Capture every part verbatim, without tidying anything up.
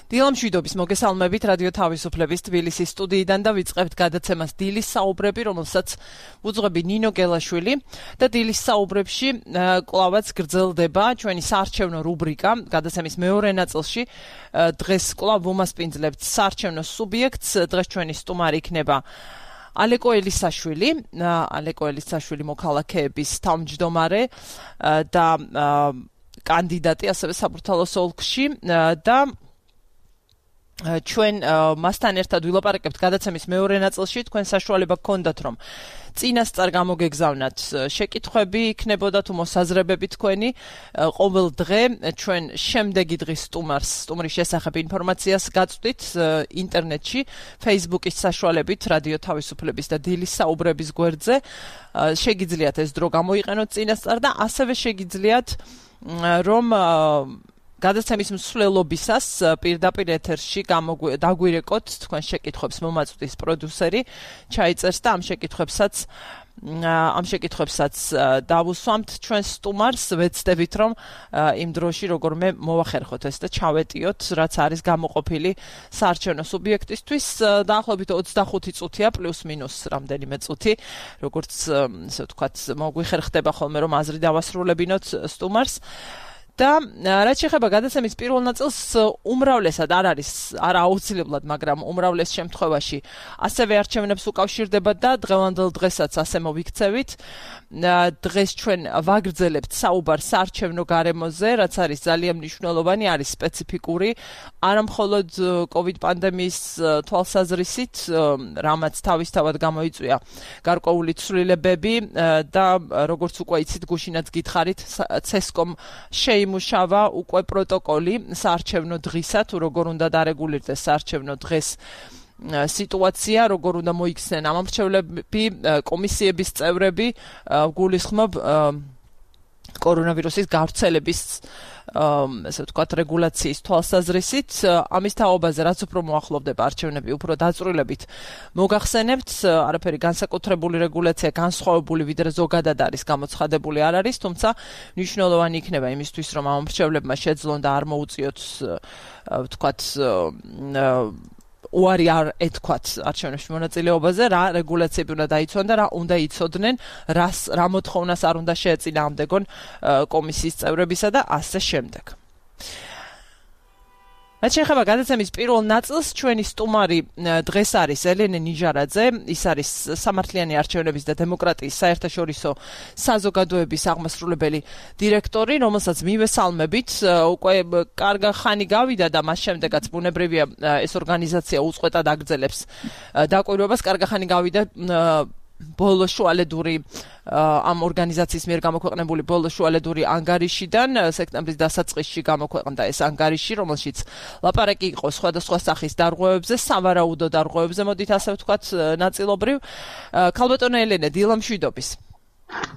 დილამშვიდობის მოგესალმებით რადიო თავისუფლების თბილისის სტუდიიდან და ვიწყებთ გადაცემას დილის საუბრები, რომელსაც უძღვები ნინო გელაშვილი და დილის საუბრებში კლავაც გრძელდება ჩვენი საარჩევნო რუბრიკა. გადაცემის მეორე ნაწილში დღეს კლავ ვუმასპინძლებთ საარჩევნო სუბიექტს. დღეს ჩვენი სტუმარი იქნება ალეკო ელისაშვილი, ალეკო ელისაშვილი მოქალაქეების თავმჯდომარე და კანდიდატი ასევე საბურთალოს ოლქში და ჩვენ მასთან ერთად ვილაპარაკებთ გადაცემის მეორე ნაწილში. თქვენ საშუალება გქონდათ რომ წინასწარ გამოგეგზავნათ შეკითხვები, იქნებოდა თუ მოსაზრებები თქვენი. ყოველ დღე ჩვენ შემდეგი დღის სტუმარს, სტუმრის შესახებ ინფორმაციას გაწვდით ინტერნეტში, Facebook-ის საშუალებით, რადიო თავისუფლების და დილის საუბრების გვერდზე. შეგიძლიათ ეს დრო გამოიყენოთ წინასწარ და ასევე შეგიძლიათ რომ გადაცემის მსვლელობისას პირდაპირ ეთერში დაგვირეკოთ თქვენ შეკითხვებს მომაწვდის პროდიუსერი ჩაიწერს და ამ შეკითხვებსაც ამ შეკითხვებსაც დავუსვამთ ჩვენ სტუმარს. ვეცდებით რომ იმ დროში როგორმე მოვახერხოთ ეს და ჩავეტიოთ რაც არის გამოყოფილი საარჩევნო სუბიექტისთვის. დაახლოებით ოცდახუთი წუთია პლუს მინუს რამდენიმე წუთი, როგორც ესე ვთქვათ მოგვიხერხდება ხოლმე რომ აზრი დავასრულებინოთ სტუმარს. და რაც შეეხება გადაცემის პირველ ნაწილს, უმრავლესად არ არის არა აუცილებლად, მაგრამ უმრავლეს შემთხვევაში ასევე არჩევნებს უკავშირდება და დღევანდელ დღესაც ასე მოვიქცევით. დღეს ჩვენ ვაგრძელებთ საუბარს საარჩევნო გარემოზე, რაც არის ძალიან მნიშვნელოვანი, არის სპეციფიკური, არა მხოლოდ COVID პანდემიის თვალსაზრისით, რამაც თავისთავად გამოიწვია გარკვეული ცვლილებები და როგორც უკვე იცით, გუშინაც გითხარით, ცესკომ შეიმუშავა უკვე პროტოკოლი საარჩევნო დღისა, თუ როგორ უნდა დარეგულირდეს საარჩევნო დღეს სიტუაცია, როგორ უნდა მოიქცნენ ამომრჩევლები, კომისიების წევრები, გულისხმობ კორონავირუსის გავრცელების ესე ვთქვათ რეგულაციის თვალსაზრისით. ამის თაობაზე რაც უფრო მოახლოვდება არჩევნები, უფრო დაწვრილებით მოგახსენებთ, არაფერი განსაკუთრებული რეგულაცია განსხვავებული ვიდრე ზოგადად არის გამოცხადებული არ არის, თუმცა მნიშვნელოვანი იქნება იმისთვის რომ ამომრჩევლებმა შეძლონ და არ მოუწიოთ ვთქვათ უარი არ ეთქვათ არჩევნებში მონაწილეობაზე, რა რეგულაციები უნდა დაიცვან და რა უნდა იცოდნენ, რას რა მოთხოვნას არ უნდა შეეწინააღმდეგონ კომისიის წევრებისა და ასე შემდეგ. რაც შეეხება გადაცემის პირველ ნაწილს, ჩვენი სტუმარი დღეს არის ელენე ნიჟარაძე, ის არის სამართლიანი არჩევნების და დემოკრატიის საერთაშორისო საზოგადოების აღმასრულებელი დირექტორი, რომელსაც მივესალმებით. უკვე კარგი ხანი გავიდა და მას შემდეგაც ბუნებრივია ეს ორგანიზაცია უწყვეტად აგრძელებს დაკვირვებას. კარგი ხანი გავიდა ბოლო შუალედური ამ ორგანიზაციის მიერ გამოქვეყნებული ბოლო შუალედური ანგარიშიდან სექტემბრის დასაწყისში გამოქვეყნდა ეს ანგარიში, რომელშიც ლაპარაკი იყო სხვადასხვა სახის დარღვევებზე, სავარაუდო დარღვევებზე, მოდით ასე ვთქვათ ნაწილობრივ. ქალბატონო ელენე, დილამშვიდობის.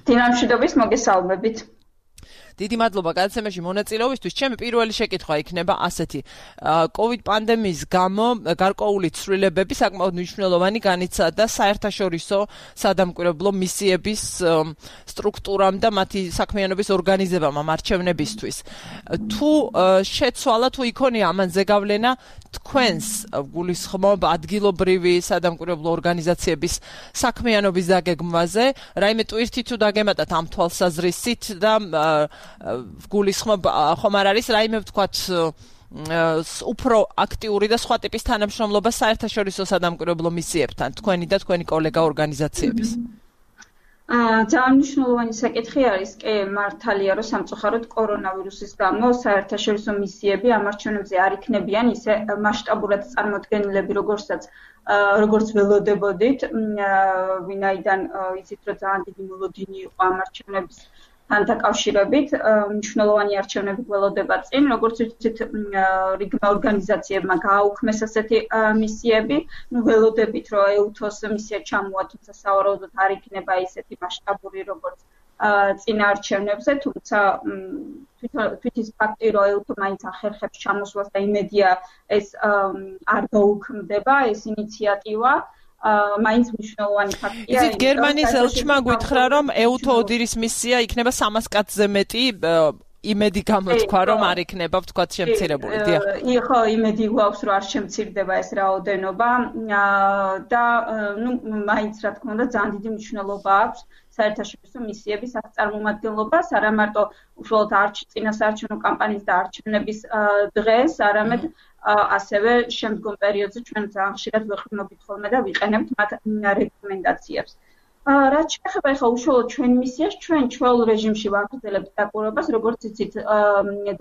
დილამშვიდობის, მოგესალმებით. დიდი მადლობა გადაცემაში მონაწილეობისთვის. ჩემი პირველი შეკითხვა იქნება ასეთი. COVID პანდემიის გამო გარკვეული ცვლილებები საკმაოდ მნიშვნელოვანი განიცადა საერთაშორისო სადამკვირვებლო მისიების სტრუქტურამ და მათი საქმიანობის ორგანიზებამ ამ არჩევნებისთვის. თუ შეცვალა, თუ იქონია ამანზე გავლენა თქვენს გულისხმობ ადგილობრივი სადამკვირვებლო ორგანიზაციების საქმიანობის დაგეგმვაზე, რაიმე ტვირთი თუ დაგემატათ ამ თვალსაზრისით და გულისხმობ ხომ არ არის რაიმე ვთქვათ უფრო აქტიური და სხვა ტიპის თანამშრომლობა საერთაშორისო სადამკვირვებლო მისიებთან, თქვენი და თქვენი კოლეგა ორგანიზაციების? ძალიან მნიშვნელოვანი საკითხი არის, კი მართალია, რომ სამწუხაროდ კორონავირუსის გამო საერთაშორისო მისიები ამ არჩევნებზე არ იქნებიან ისე მასშტაბურად წარმოდგენილები, როგორცაც როგორც ველოდებოდით, ვინაიდან იცით, რომ ძალიან დიდი მოლოდინი იყო ამ არჩევნების თან დაკავშირებით, მნიშვნელოვანი არჩევნები გველოდება წინ, როგორც ვიცით, რიგმა ორგანიზაციებმა გააუქმეს ასეთი მისიები, ნუ ველოდებით, რომ ეუთოს მისია ჩამოვა, თუმცა სავარაუდოდ არ იქნება ისეთი მასშტაბური, როგორც წინა არჩევნებზე, თუმცა თვითის ფაქტი, რომ ეუთო მაინც ახერხებს ჩამოსვლას და იმედია ეს არ გაუქმდება, ეს ინიციატივა. მაინც მნიშვნელოვანი ფაქტია. იცით, გერმანიის ელჩმა გითხრა, რომ ეუთო ოდირის მისია იქნება სამას კაცზე მეტი იმედი გამოთქვა, რომ არ იქნება ვთქვათ შემცირებული. დიახ. ხო, იმედი გვაქვს, რომ არ შემცირდება ეს რაოდენობა და ნუ მაინც რა თქმა უნდა ძალიან დიდი მნიშვნელობა აქვს საერთაშორისო მისიების წარმომადგენლობას, არა მარტო უშუალოდ წინასაარჩევნო კამპანიის და არჩევნების დღეს, არამედ ასევე შემდგომ პერიოდზე ჩვენ ძალიან ხშირად ვეყრდნობთ ხოლმე და ვიყენებთ მათ რეკომენდაციებს. რაც შეეხება ახლა უშუალოდ ჩვენ მისიას, ჩვენ ჩვეულ რეჟიმში ვაგრძელებთ დაკვირვებას, როგორც იცით,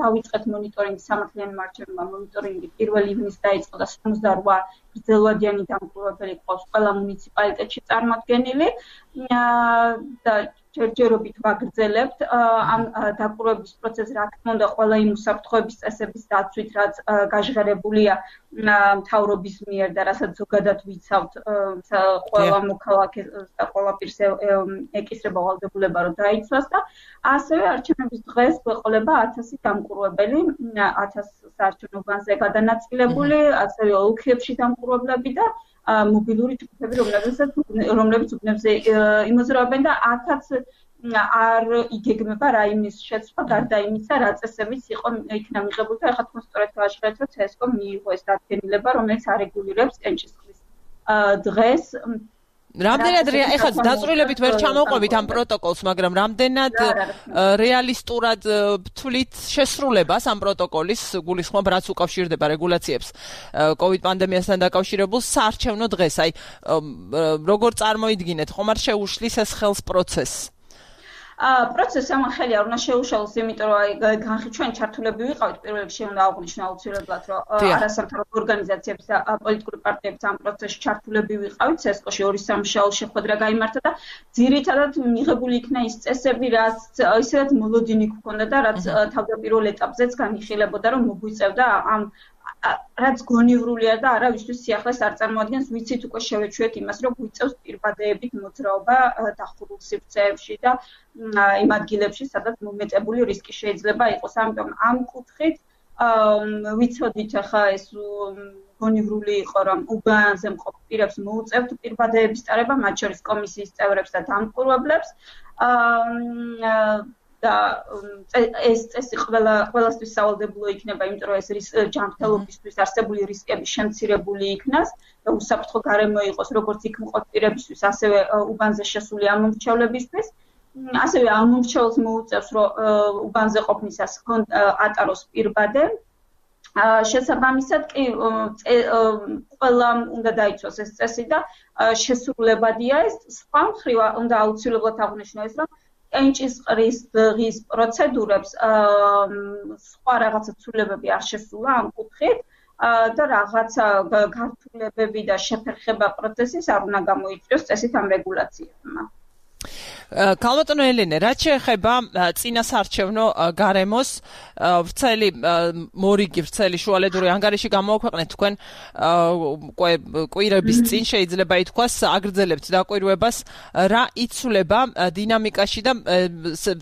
დავიწყეთ მონიტორინგი სამართლიანი მარჩევნა მონიტორინგი პირველ ივნისს დაიწყო და ოცდაოთხ გრძელვადიანი დამკვირვებელი ყავს ყველა მუნიციპალიტეტში წარმოდგენილი და ჯერჯერობით ვაგრძელებთ ამ დაკვირვების პროცესს, რა თქმა უნდა, ყველა იმ უსაფრთხოების წესების დაცვით, რაც გაჟღერებულია მთავრობის მიერ და რასაც ზოგადად ვიცავთ ყველა მოქალაქეს და ყველა პირს ეკისრება ვალდებულება, რომ დაიცვას და ასევე არჩევნების დღეს გვეყოლება ათასი დამკვირვებელი, ათას საარჩევნო უბანზე გადანაწილებული, ასევე ოლქებში დამკვირვებლები და მობილური ჯგუფები, რომლებიც უბნებზე იმოძრაობენ და აქაც არ იგეგმება რაიმის შეცვლა, გარდა იმისა, რა წესებიც იყო იქნა მიღებული და ახლა თქვენ სწორედ გააჩნიათ, რომ ცესკომ მიიღო ეს დადგენილება, რომელიც არეგულირებს კენჭისყრის დღეს. რამდენად ეხლა დაწვრილებით ვერ ჩამოვყვებით ამ პროტოკოლს, მაგრამ რამდენად რეალისტურად ვთვლით შესრულებას ამ პროტოკოლის გულისხმობ, რაც უკავშირდება რეგულაციებს კოვიდ პანდემიასთან დაკავშირებულ საარჩევნო დღეს, აი როგორ წარმოიდგინეთ, ხომ არ შეუშლის ეს ხელს პროცესს? პროცესს ამან ხელი არ უნდა შეუშალოს, იმიტომ რომ აი განხი ჩვენ ჩართულები ვიყავით პირველ რიგში უნდა აღვნიშნო აუცილებლად, რომ არასამთავრობო ორგანიზაციების და პოლიტიკური პარტიების ამ პროცესში ჩართულები ვიყავით, ცესკოში ორი სამშაბათი შეხვედრა გაიმართა და ძირითადად მიღებული იქნა ის წესები, რაც ისედაც მოლოდინი გქონდა და რაც თავდაპირველ ეტაპზეც განიხილებოდა, რომ მოგვიწევდა ამ რაც გონივრულია და არავისთვის სიახლეს არ წარმოადგენს, ვიცით უკვე შევეჩვიეთ იმას, რომ გვიწევს პირბადეებით მოძრაობა დახურულ სივრცეებში და იმ ადგილებში, სადაც მომეტებული რისკი შეიძლება იყოს. ამიტომ ამ კუთხით ვიცოდით ახლა ეს გონივრული იყო, რომ უბანზე მყოფ პირებს მოუწევთ პირბადეების ტარება, მათ შორის კომისიის წევრებს და დამკვირვებლებს. და ეს წესი ყველა ყველასთვის სავალდებულო იქნება, იმიტომ რომ ეს ჯანმრთელობისთვის არსებული რისკები შემცირებული იქნას და უსაფრთხო გარემო იყოს როგორც იქ მყოფ პირებისთვის, ასევე უბანზე შესული ამომრჩევლებისთვის. ასევე ამომრჩეველს მოუწევს, რომ უბანზე ყოფნისას ატაროს პირბადე. შესაბამისად კი ყველა უნდა დაიცვას ეს წესი და შესრულებადია ეს. სხვა მხრივ უნდა აუცილებლად აღვნიშნო ეს, რომ კენჭისყრის დღის პროცედურებს სხვა რაღაცა ცვლილებები არ შესულა ამ კუთხით და რაღაცა გართულებები და შეფერხება პროცესის არ უნდა გამოიწვიოს წესით ამ რეგულაციებმა. ქალბატონო ელენე, რაც შეეხება წინასაარჩევნო გარემოს, ვრცელი მორიგი, ვრცელი შუალედური ანგარიში გამოაქვეყნეთ თქვენ კვირების წინ, შეიძლება ითქვას, აგრძელებთ დაკვირვებას, რა იცვლება დინამიკაში და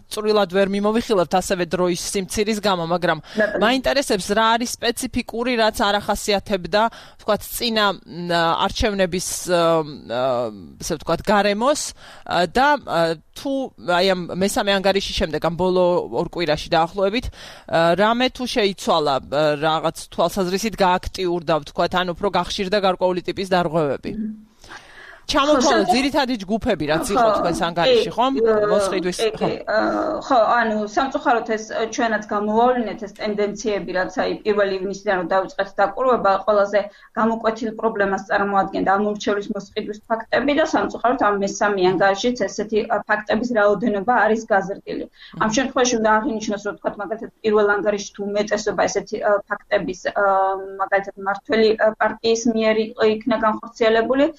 წვრილად ვერ მიმოვიხილავთ ასევე დროის სიმცირის გამო, მაგრამ მაინტერესებს რა არის სპეციფიკური, რაც არ ახასიათებდა, ვთქვათ, წინა არჩევნების, ესე ვთქვათ, გარემოს და თუ აი ამ მესამე ანგარიშის შემდეგ ამ ბოლო ორ კვირაში დაახლოებით რამე თუ შეიცვალა რაღაც თვალსაზრისით გააქტიურდა ვთქვათ ან უფრო გახშირდა გარკვეული ტიპის დარღვევები ჩამოთვალა ძირითადი ჯგუფები რაც იყო თქვენს ანგარიში ხომ მოსყიდვის ხო ხო ანუ სამწუხაროდ ეს ჩვენაც გამოვავლინეთ ეს ტენდენციები რაც აი პირველ ივნისიდან რომ დავიწყეთ დაკვირვება ყველაზე გამოკვეთილ პრობლემას წარმოადგენდა ამორჩევლის მოსყიდვის ფაქტები და სამწუხაროდ ამ მესამე ანგარიშიც ესეთი ფაქტების რაოდენობა არის გაზრდილი ამ შემთხვევაში უნდა აღინიშნოს რომ თქვა მაგალითად პირველ ანგარიშში თუ უმეტესობა ესეთი ფაქტების მაგალითად მართველი პარტიის მიერ იქნა განხორციელებული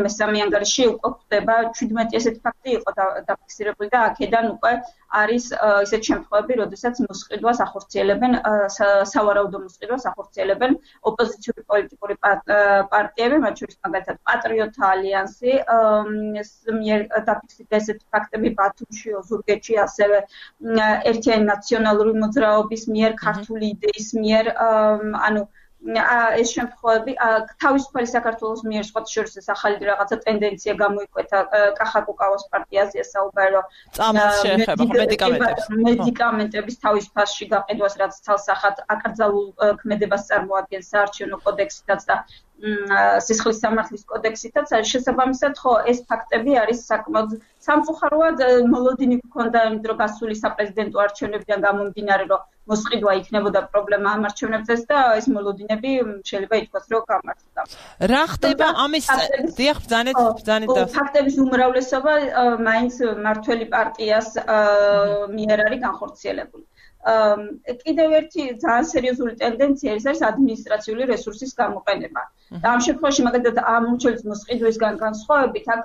მესამე ანგარიში უკვე ხდება ჩვიდმეტი ესეთი ფაქტი იყო დაფიქსირებული და აქედან უკვე არის ისეთ შემთხვევები, როდესაც მოსყიდვას ახორციელებენ სავარაუდო მოსყიდვას ახორციელებენ ოპოზიციური პოლიტიკური პარტიები, მათ შორის მაგალითად პატრიოტთა ალიანსი, მიერ დაფიქსირდა ესეთი ფაქტები ბათუმში, ოზურგეთში, ასევე ერთიანი ნაციონალური მოძრაობის მიერ, ქართული იდეის მიერ, ანუ ეს შემთხვევები თავისუფალი საქართველოს მიერ სხვა შორის ეს ახალი რაღაცა ტენდენცია გამოიკვეთა კახაკუკავას პარტიაზე საუბარი რომ მედიკამენტების თავისუფალში გაყიდვას რაც ცალსახად აკრძალულ ქმედებას წარმოადგენს საარჩევნო კოდექსითაც და სისხლის სამართლის კოდექსითაც შესაბამისად ხო ეს ფაქტები არის საკმაოდ სამწუხაროდ მოლოდინი გქონდა იმიტომ რომ გასული საპრეზიდენტო არჩევნებიდან გამომდინარე რომ მოსყიდვა იქნებოდა პრობლემა ამ არჩევნებზეც და ეს მოლოდინები შეიძლება ითქვას რომ გამართლდა. რა ხდება ამის დიახ ბრძანეთ ბრძანეთ და ფაქტების უმრავლესობა მაინც მართველი პარტიას მიერ არის განხორციელებული. კიდევ ერთი ძალიან სერიოზული ტენდენცია ის არის ადმინისტრაციული რესურსის გამოყენება. და ამ შემთხვევაში მაგალითად ამ მრჩევლის მოსყიდვისგან განსხვავებით აქ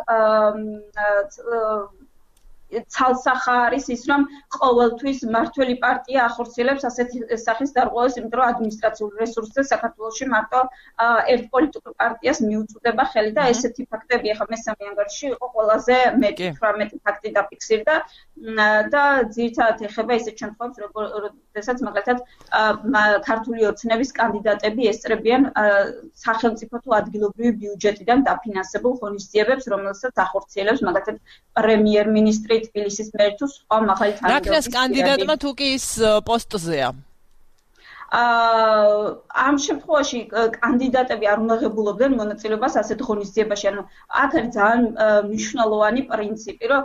ცალსახა არის ის რომ ყოველთვის მართველი პარტია ახორციელებს ასეთი სახის დარღვევას, იმიტომ რომ ადმინისტრაციული რესურსზე საქართველოში მარტო ერთ პოლიტიკურ პარტიას მიუწვდება ხელი და ესეთი ფაქტები ახლა მესამე ანგარიშში იყო ყველაზე მეტი თვრამეტი ფაქტი დაფიქსირდა და ძირითადად ეხება ისეთ შემთხვევებს, როდესაც მაგალითად ქართული ოცნების კანდიდატები ესწრებიან სახელმწიფო თუ ადგილობრივი ბიუჯეტიდან დაფინანსებულ ღონისძიებებს, რომელსაც ახორციელებს მაგალითად პრემიერ-მინისტრი თბილისის მერი თუ სხვა მაღალი თანამდებობების რაკნას კანდიდატმა თუ კი ის პოსტზეა ამ შემთხვევაში კანდიდატები არ უნდა ღებულობდნენ მონაწილეობას ასეთ ღონისძიებაში. ანუ აქ არის ძალიან მნიშვნელოვანი პრინციპი, რომ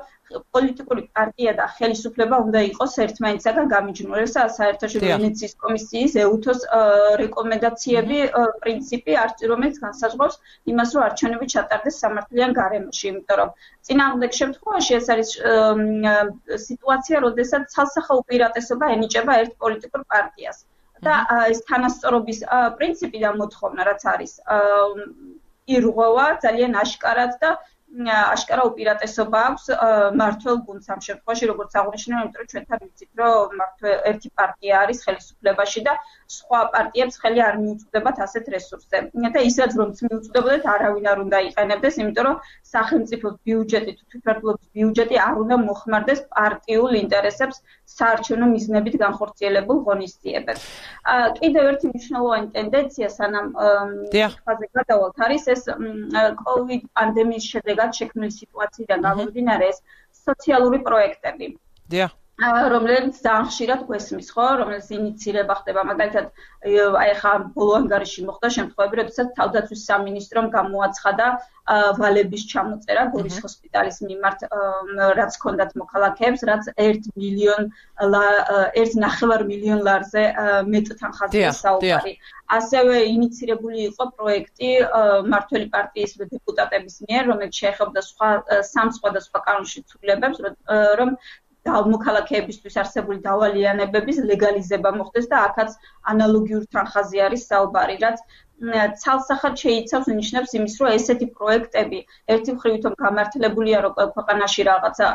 პოლიტიკური პარტია და ხელისუფლება უნდა იყოს ერთმანეთისაგან გამიჯნული. ეს საერთაშორისო ვენეციის კომისიის ეუთოს რეკომენდაციები, პრინციპი, რომელიც განსაზღვრავს იმას, რომ არჩევნები ჩატარდეს სამართლიან გარემოში, იმიტომ რომ წინააღმდეგ შემთხვევაში ეს არის სიტუაცია, როდესაც ცალსახა უპირატესობა ენიჭება ერთ პოლიტიკურ პარტიას. და ეს თანასწორობის პრინციპი და მოთხოვნა რაც არის ირღვევა ძალიან აშკარად და აშკარა უპირატესობა აქვს მართლ გუნდს ამ შემთხვევაში როგორც აღნიშნე, იმიტომ რომ ჩვენთან ვიცით რომ მართლ ერთი პარტია არის ხელისუფლებაში და სხვა პარტიებს ხელი არ მიუწვდებათ ასეთ რესურსზე. და ისაც რომ მიუწვდებოდეთ არავინ არ უნდა იყენებდეს, იმიტომ რომ სახელმწიფო ბიუჯეტი თუ თვითმმართველობის ბიუჯეტი არ უნდა მოხმარდეს პარტიულ ინტერესებს საარჩევნო მიზნებით განხორციელებულ ღონისძიებებს. კიდევ ერთი მნიშვნელოვანი ტენდენცია სანამ ფაზე გადავალთ არის ეს კოვიდ პანდემიის შედეგად შექმნილი სიტუაციიდან გამომდინარე ეს სოციალური პროექტები. დიახ. რომელიც ძალიან ხშირად გვესმის, ხო, რომელიც ინიცირება ხდება, მაგალითად, აი ხა ბოლო ანგარიში მოხდა შემთხვევები, როდესაც თავდაცვის სამინისტრომ გამოაცხადა ვალების ჩამოწერა გორის ჰოსპიტალის მიმართ, რაც ჰქონდათ მოქალაქეებს, რაც ერთ მილიონ ერთ ნახევარ მილიონ ლარზე მეტთან ხაზია საუბარი. ასევე ინიცირებული იყო პროექტი მართველი პარტიის დეპუტატების მიერ, რომელიც შეეხებოდა სხვა სამ სხვადასხვა კანონში ცვლილებებს, რომ მოქალაქეებისთვის არსებული დავალიანებების ლეგალიზება მოხდეს და აქაც ანალოგიურ თანხაზე არის საუბარი, რაც ცალსახად შეიცავს ნიშნებს იმის, რომ ესეთი პროექტები ერთი მხრივ თვითონ გამართლებულია, რომ ქვეყანაში რაღაცა